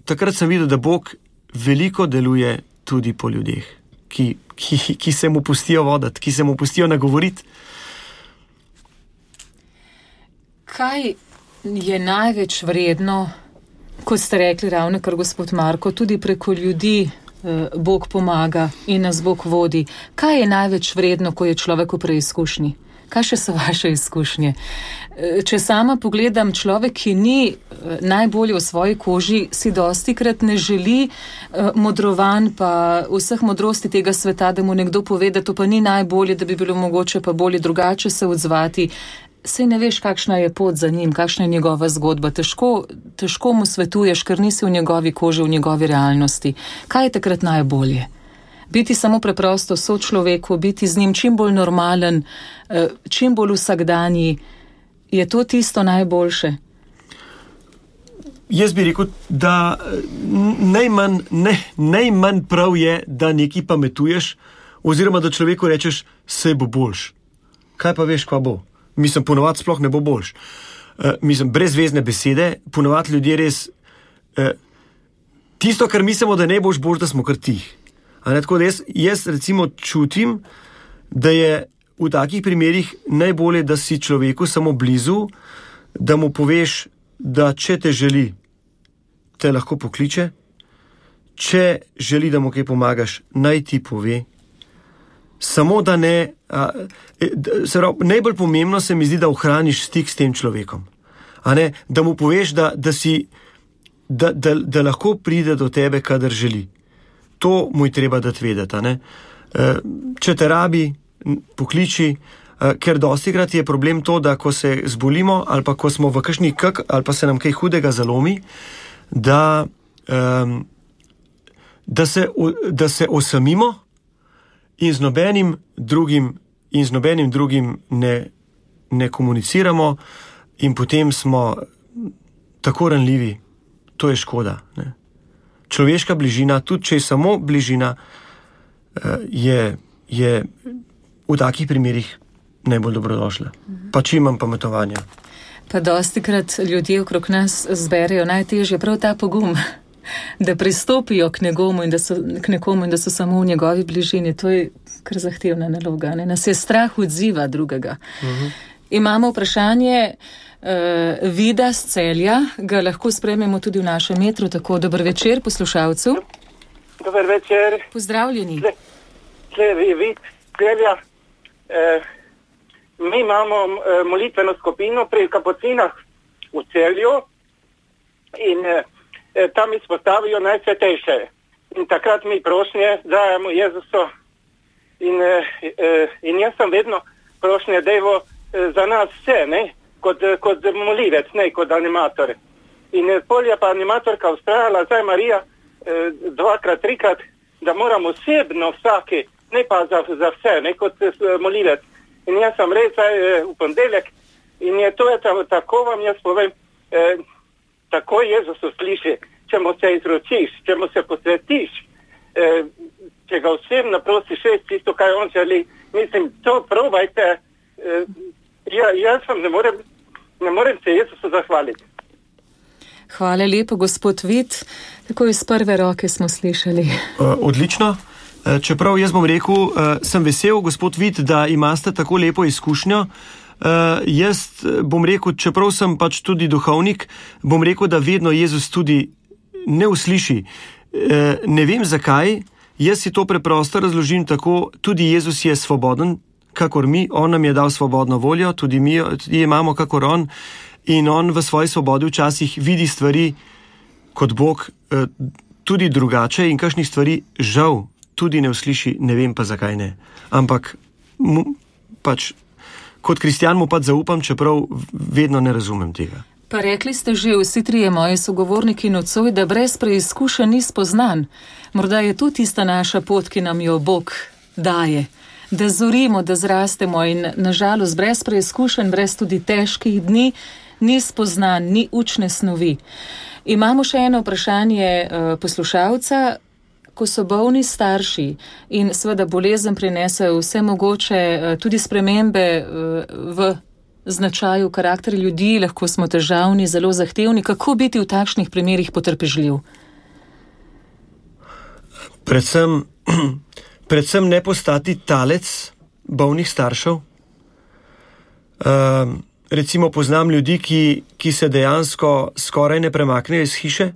takrat sem videl, da Bog veliko deluje tudi po ljudeh, ki se mu pustijo voditi, ki se mu pustijo nagovoriti. Kaj je največ vredno, kot ste rekli ravno kar gospod Marko, tudi preko ljudi Bog pomaga in nas Bog vodi. Kaj je največ vredno, ko je človek v preizkušnji? Kaj še so vaše izkušnje? Če sama pogledam, človek, ki ni najbolje v svoji koži, si dostikrat ne želi modrovanj pa vseh modrosti tega sveta, da mu nekdo pove, da to pa ni najbolje, da bi bilo mogoče pa bolje drugače se odzvati. Sej ne veš, kakšna je pot za njim, kakšna je njegova zgodba. Težko mu svetuješ, ker nisi v njegovi koži, v njegovi realnosti. Kaj je takrat najbolje? Biti samo preprosto sočloveku, biti z njim čim bolj normalen, čim bolj vsakdanji. Je to tisto najboljše? Jaz bi rekel, da najmanj prav je, da nekaj pametuješ, oziroma da človeku rečeš, sej bo boljš. Kaj pa veš, kva bo? Mislim, ponovadi sploh ne bo boljš. Brezvezne besede, ponovadi ljudje res tisto, kar mislimo, da ne boš boljš, da smo kar tih. Tako da jaz recimo čutim, da je v takih primerih najbolje, da si človeku samo blizu, da mu poveš, da če te želi, te lahko pokliče, če želi, da mu kaj pomagaš, naj ti pove. Samo da ne, najbolj pomembno se mi zdi, da ohraniš stik s tem človekom. Da mu poveš, da lahko pride do tebe, kadar želi. To mu je treba dati vedeti. Če te rabi, pokliči, ker dostikrat je problem to, da ko se zbolimo ali pa ko smo v kakšni ali pa se nam kaj hudega zalomi, da se osamimo in z nobenim drugim ne komuniciramo in potem smo tako ranljivi. To je škoda. Ne? Človeška bližina, tudi če je samo bližina, je v takih primerih najbolj dobrodošla. Pa čim manj pametovanja. Pa dostikrat ljudje okrog nas zberejo najtežje prav ta pogum, da pristopijo k nekomu in da so samo v njegovi bližini. To je kar zahtevna naloga. Ne? Nas je strah odziva drugega. Imamo vprašanje Vida z Celja, ga lahko sprememo tudi v našem metru, tako dober večer poslušalcu. Dober večer. Pozdravljeni. Vid Celja. Mi imamo molitveno skupino pri Kapucinah v Celju in tam izpostavijo najsvetejše. In takrat mi prošnje dajemo Jezusu in jaz sem vedno prošnje devo za nas vse, ne? Kot molivec, ne kot animator. In pol je pa animatorka ustrajala, zdaj Marija, 2-krat, 3-krat, da moramo osebno vsaki, ne pa za vse, ne kot molivec. In jaz sem res v ponedeljek in je to tako vam jaz povem, tako Jezus usliši, če mu se izročiš, če mu se posvetiš, če ga osebno prosiš, tisto, kaj on želi. Mislim, to probajte. Jaz vam ne morem se Jezusu zahvaliti. Hvala lepo, gospod Vid. Tako iz prve roke smo slišali. Odlično. Čeprav jaz bom rekel, sem vesel, gospod Vid, da imate tako lepo izkušnjo. Jaz bom rekel, čeprav sem pač tudi duhovnik, bom rekel, da vedno Jezus tudi ne usliši. Ne vem zakaj, jaz si to preprosto razložim tako, tudi Jezus je svoboden, kakor mi, on nam je dal svobodno voljo, tudi mi imamo kakor on, in on v svoji svobodi včasih vidi stvari kot Bog tudi drugače in kakšnih stvari žal tudi ne usliši, ne vem pa zakaj ne. Ampak pač kot kristjan mu pač zaupam, čeprav vedno ne razumem tega. Pa rekli ste že vsi trije moji sogovorniki nocoj, da brez preizkušenj ni spoznan. Morda je to tista naša pot, ki nam jo Bog daje. Da zorimo, da zrastemo in nažalost brez preizkušenj, brez tudi težkih dni, ni spoznan, ni učne snovi. Imamo še eno vprašanje poslušalca. ko so bolni starši in seveda bolezen prinese vse mogoče tudi spremembe v značaju karakterja ljudi, lahko smo težavni, zelo zahtevni. Kako biti v takšnih primerih potrpežljiv? Predvsem ne postati talec bolnih staršev. Recimo poznam ljudi, ki se dejansko skoraj ne premaknejo iz hiše,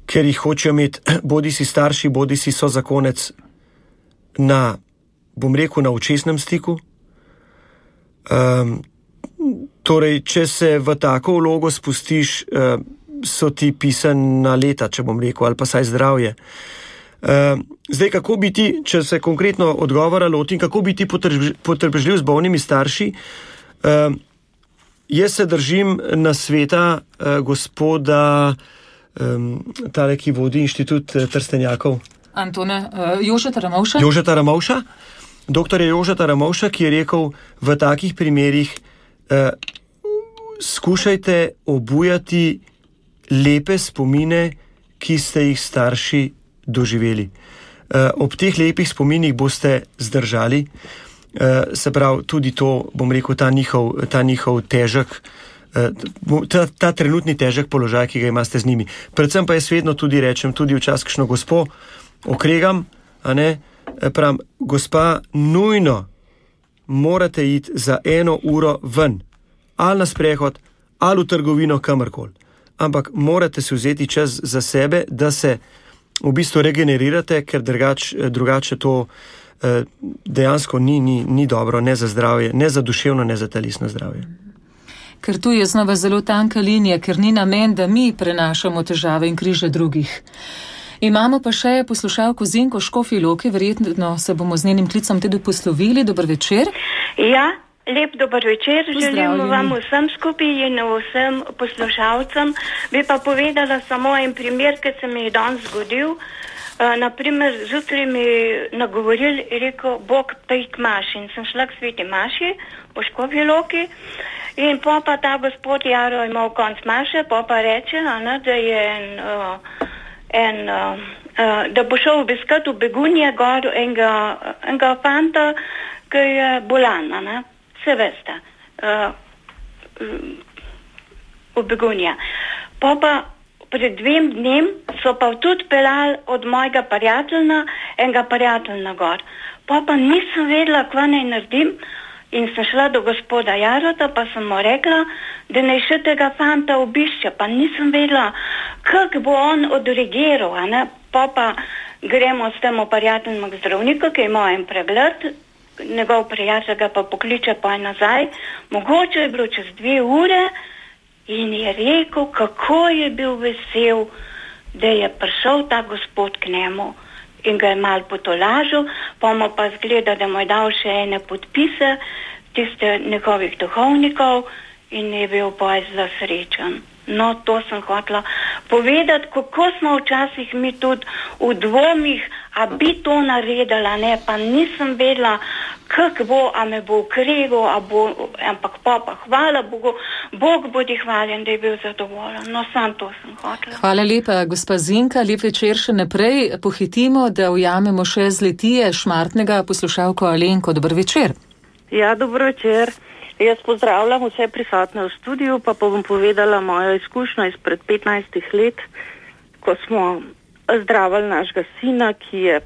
ker jih hočejo imeti bodi si starši, bodi si sozakonec na, bom rekel, na očesnem stiku. Torej, če se v tako vlogo spustiš, so ti pisana leta, če bom rekel, ali pa saj zdravje. Zdaj, kako biti, če se konkretno odgovora lotim, kako biti potrpežljiv z bolnimi starši? Jaz se držim nasveta gospoda, tale, ki vodi inštitut Trstenjakov. Jožeta Ramovša? Jožeta Ramovša. Doktorja Jožeta Ramovša, ki je rekel, v takih primerih skušajte obujati lepe spomine, ki ste jih starši doživeli. Ob teh lepih spominih boste zdržali, se pravi, tudi to, bom rekel, ta njihov težek, ta trenutni težek položaj, ki ga imate z njimi. Predvsem pa jaz vedno tudi rečem, tudi včasih kakšno gospo okregam, a ne, pravim, gospa, nujno morate iti za 1 uro ven, ali na sprehod, ali v trgovino, kamorkoli. Ampak morate si vzeti čas za sebe, da se v bistvu regenerirate, ker drugače to dejansko ni dobro, ne za zdravje, ne za duševno, ne za telesno zdravje. Ker tu je znova zelo tanka linija, ker ni namen, da mi prenašamo težave in križe drugih. Imamo pa še poslušalko Zinko Škofji Loki, verjetno se bomo z njenim klicom tudi poslovili. Dober večer. Ja, lep dober večer. Želim vam vsem skupaj in vsem poslušalcem. Bi pa povedala samo en primer, ki se mi je danes zgodil. Naprimer, zjutraj mi nagovoril in rekel, Bog pej k maši. In sem šla k sveti maši po Škofji Loki. In pa ta gospod Jaro imel konc maše, pa reče, da je da bo šel obiskat v Begunje gor enega fanta, ki je bolan, vse veste, v Begunje. Pa pred 2 dnem so pa tudi pelali od mojega prijatelja, enega prijatelja gor. Pa nisem vedela, kva naj naredim, in sem šla do gospoda Jarota, pa sem mu rekla, da naj še tega fanta obišče, pa nisem vedela, kako bo on odreagiral, Pa gremo s tem prijateljem k zdravniku, ki ima en pregled, njegov prijatelj ga pa pokliče pa nazaj, mogoče je bilo čez 2 ure in je rekel, kako je bil vesel, da je prišel ta gospod k njemu in ga je malo potolažil, pa mu pa zgleda, da mu je dal še ene podpise tiste njegovih duhovnikov in je bil pa zelo srečen. No, to sem hotela povedati, kako smo včasih mi tudi v dvomih, a bi to naredila, ne, pa nisem vedela, kako bo, a me bo ukregal, ampak pa hvala Bogu, Bog bodi hvaljen, da je bil zadovoljen. No, sam to sem hotela. Hvala lepa, gospa Zinka, lep večer še naprej. Pohitimo, da ujamemo še z Litije Šmartnega poslušalko Alenko. Dober večer. Ja, dober večer. Jaz pozdravljam vse prisotne v studiu, pa bom povedala mojo izkušnjo izpred 15 let, ko smo zdravili našega sina, ki je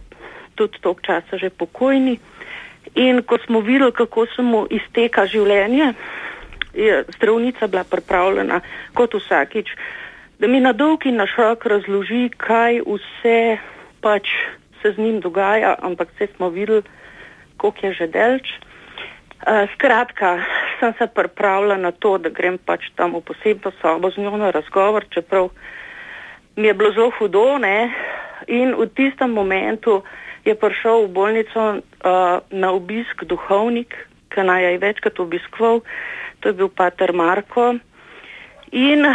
tudi toliko časa že pokojni, in ko smo videli, kako se mu izteka življenje, je zdravnica bila pripravljena kot vsakič, da mi na dolg in na širok razloži, kaj vse pač se z njim dogaja, ampak vse smo videli, koliko je že delč. Skratka, sem se pripravila na to, da grem pač tam v posebno sobo z njo na razgovor, čeprav mi je bilo zelo hudo, ne, in v tistem momentu je prišel v bolnico na obisk duhovnik, ki naj je večkrat obiskoval, to je bil pater Marko, in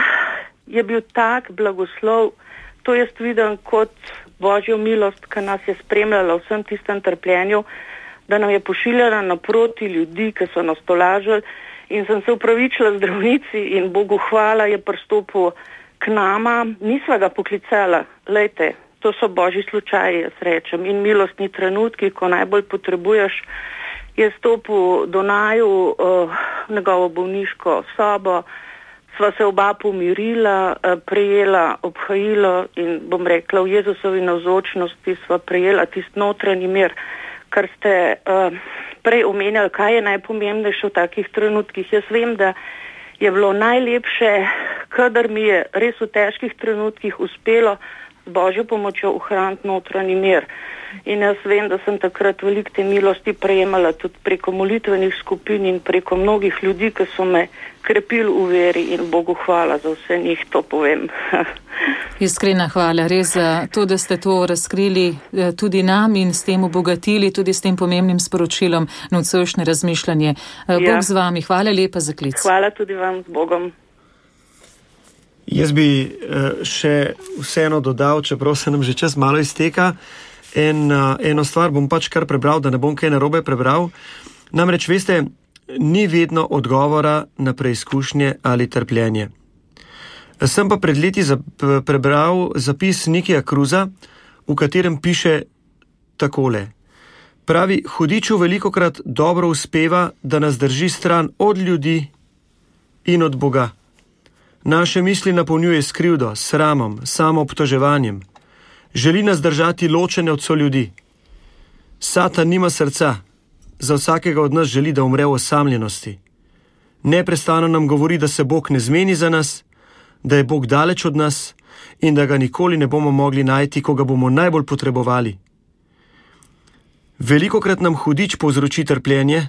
je bil tak blagoslov, to jaz vidim kot Božjo milost, ki nas je spremljala v vsem tistem trpljenju, da nam je pošiljala naproti ljudi, ki so nas tolažili, in sem se upravičila zdravnici in Bogu hvala je pristopil k nama. Nisva ga poklicala, lejte, to so božji slučaji, jaz rečem, in milostni trenutki, ko najbolj potrebuješ. Je stopil do naju njegovo bolniško sobo, sva se oba pomirila, prejela obhajilo in bom rekla, v Jezusovi navzočnosti sva prejela tisti notranji mir, kar ste prej omenjali, kaj je najpomembnejše v takih trenutkih. Jaz vem, da je bilo najlepše, kadar mi je res v težkih trenutkih uspelo z božjo pomočjo ohraniti notranji mir. In jaz vem, da sem takrat veliko te milosti prejemala tudi preko molitvenih skupin in preko mnogih ljudi, ki so me krepili v veri, in Bogu hvala za vse njih, to povem. Iskrena hvala res za to, da ste to razkrili tudi nam in s tem obogatili, tudi s tem pomembnim sporočilom nocojšnje razmišljanje. Bog z vami, hvala lepa za klic. Hvala tudi vam, z Bogom. Jaz bi še vseeno dodal, čeprav se nam že čas malo izteka, eno stvar bom pač kar prebral, da ne bom kaj narobe prebral. Namreč, veste, ni vedno odgovora na preizkušnje ali trpljenje. Sem pa pred leti prebral zapis Nikija Cruisa, v katerem piše takole. Pravi, hudiču velikokrat dobro uspeva, da nas drži stran od ljudi in od Boga. Naše misli napolnjuje s krivdo, sramom, samoobtoževanjem. Želi nas držati ločene od soljudi. Satan nima srca. Za vsakega od nas želi, da umre v osamljenosti. Neprestano nam govori, da se Bog ne zmeni za nas, da je Bog daleč od nas in da ga nikoli ne bomo mogli najti, ko ga bomo najbolj potrebovali. Velikokrat nam hudič povzroči trpljenje,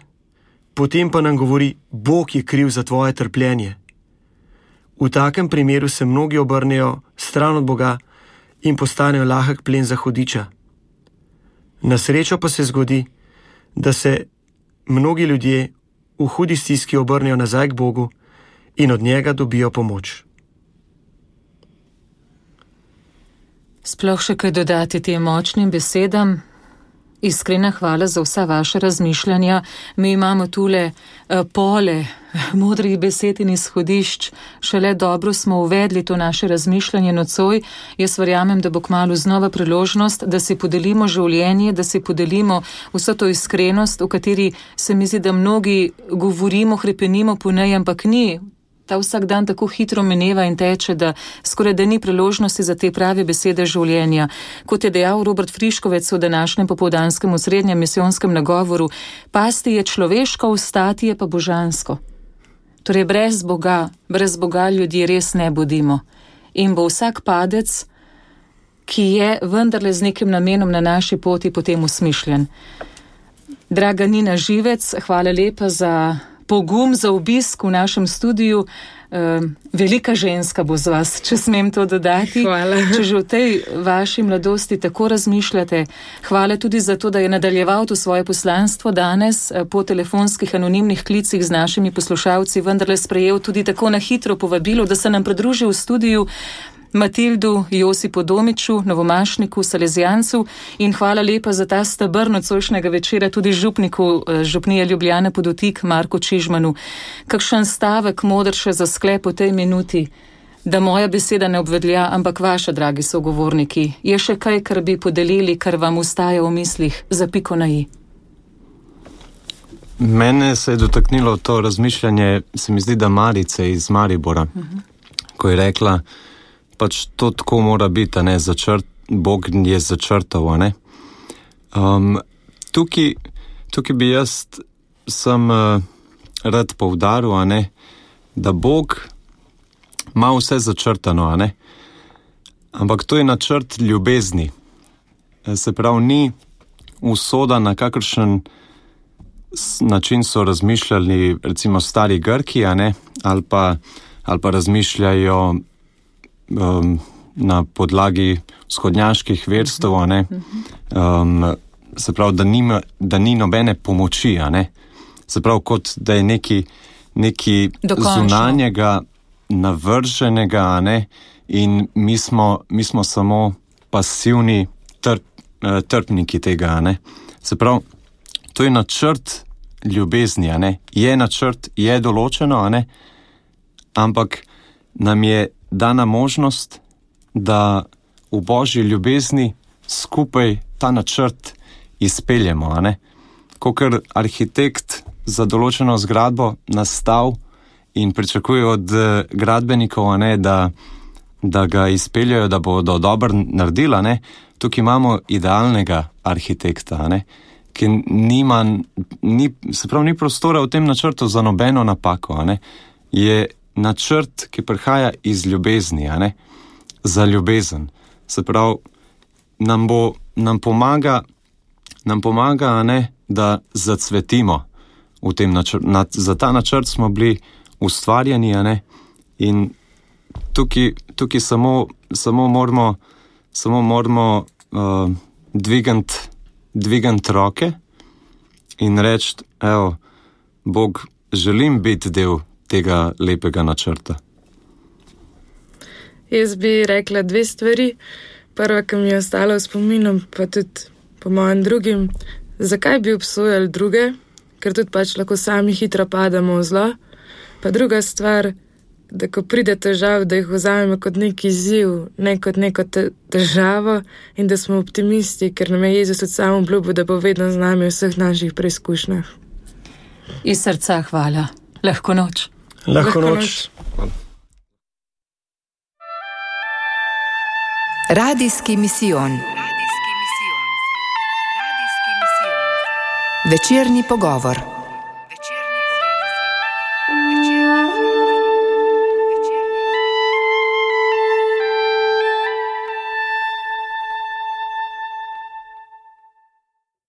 potem pa nam govori, Bog je kriv za tvoje trpljenje. V takem primeru se mnogi obrnejo stran od Boga in postanejo lahek plen za hudiča. Na srečo pa se zgodi, da se mnogi ljudje v hudi stiski obrnejo nazaj k Bogu in od njega dobijo pomoč. Sploh še kaj dodati tem močnim besedam? Iskrena hvala za vsa vaša razmišljanja. Mi imamo tule pole modrih besed in izhodišč. Šele dobro smo uvedli to naše razmišljanje nocoj. Jaz verjamem, da bo kmalu znova priložnost, da si podelimo življenje, da si podelimo vso to iskrenost, v kateri se mi zdi, da mnogi govorimo, hrepenimo po njej, ampak ni. Ta vsak dan tako hitro mineva in teče, da skoraj da ni priložnosti za te prave besede življenja. Kot je dejal Robert Friškovec v današnjem popoldanskem osrednjem misijonskem nagovoru, pasti je človeško, vstati je pa božansko. Torej brez Boga ljudje res ne bodimo. In bo vsak padec, ki je vendarle z nekim namenom na naši poti, potem usmišljen. Draga Nina Živec, hvala lepa za pogum, za obisk v našem studiu. Velika ženska bo z vas, če smem to dodati. Hvala. Če že v tej vaši mladosti tako razmišljate, hvala tudi za to, da je nadaljeval to svoje poslanstvo danes po telefonskih anonimnih klicih z našimi poslušalci, vendarle sprejel tudi tako na hitro povabilo, da se nam pridruži v studiu Matildu Josipu Domiču, novomašniku, salezijancu, in hvala lepa za ta steber nocojšnjega večera tudi župniku župnije Ljubljane Podotik Marku Čižmanu. Kakšen stavek modr še za sklep v tej minuti, da moja beseda ne obvedlja, ampak vaša, dragi sogovorniki, je še kaj, kar bi podelili, kar vam ustaja v mislih za piko na i? Mene se je dotaknilo to razmišljanje, se mi zdi, da Marice iz Maribora, ko je rekla, pač to tako mora biti, ne, Bog je začrtal, ne. Tukaj bi jaz sem rad poudaril, ne, da Bog ima vse začrtano, ne, ampak to je načrt ljubezni. Se pravi, ni usoda, na kakršen način so razmišljali recimo stari Grki, ne, ali pa razmišljajo na podlagi vzhodnjaških verstev, ne, se pravi, da ni nobene pomoči, ne, se pravi, kot da je neki zunanjega, navrženega, ne, in mi smo samo pasivni trpniki tega, ne. Se pravi, to je načrt ljubezni, ne, je načrt, je določeno, ne, ampak nam je dana možnost, da v božji ljubezni skupaj ta načrt izpeljemo, a ne? Kakor arhitekt za določeno zgradbo nastav in pričakuje od gradbenikov, a ne, da ga izpeljajo, da bodo dobro naredili, a ne? Tukaj imamo idealnega arhitekta, a ne? Ki ni prostora v tem načrtu za nobeno napako, a ne? Je načrt, ki prihaja iz ljubezni, a ne? Za ljubezen. Se pravi, nam pomaga, a ne, da zacvetimo v tem načrtu. Za ta načrt smo bili ustvarjeni, a ne, in tukaj samo moramo dvigant roke in reči, evo, Bog, želim biti del tega lepega načrta. Jaz bi rekla 2 stvari. Prva, ki mi je ostala v spominu, pa tudi po mojem drugim, zakaj bi obsojali druge, ker tudi pač lahko sami hitro padamo v zlo. Pa druga stvar, da ko pride težav, da jih vzamemo kot nek izziv, ne kot neko težavo in da smo optimisti, ker nam je Jezus tudi sam obljubil, da bo vedno z nami v vseh naših preizkušnjah. Iz srca hvala. Lahko noč. Lahko noč. Radijski misijon. Večerni pogovor.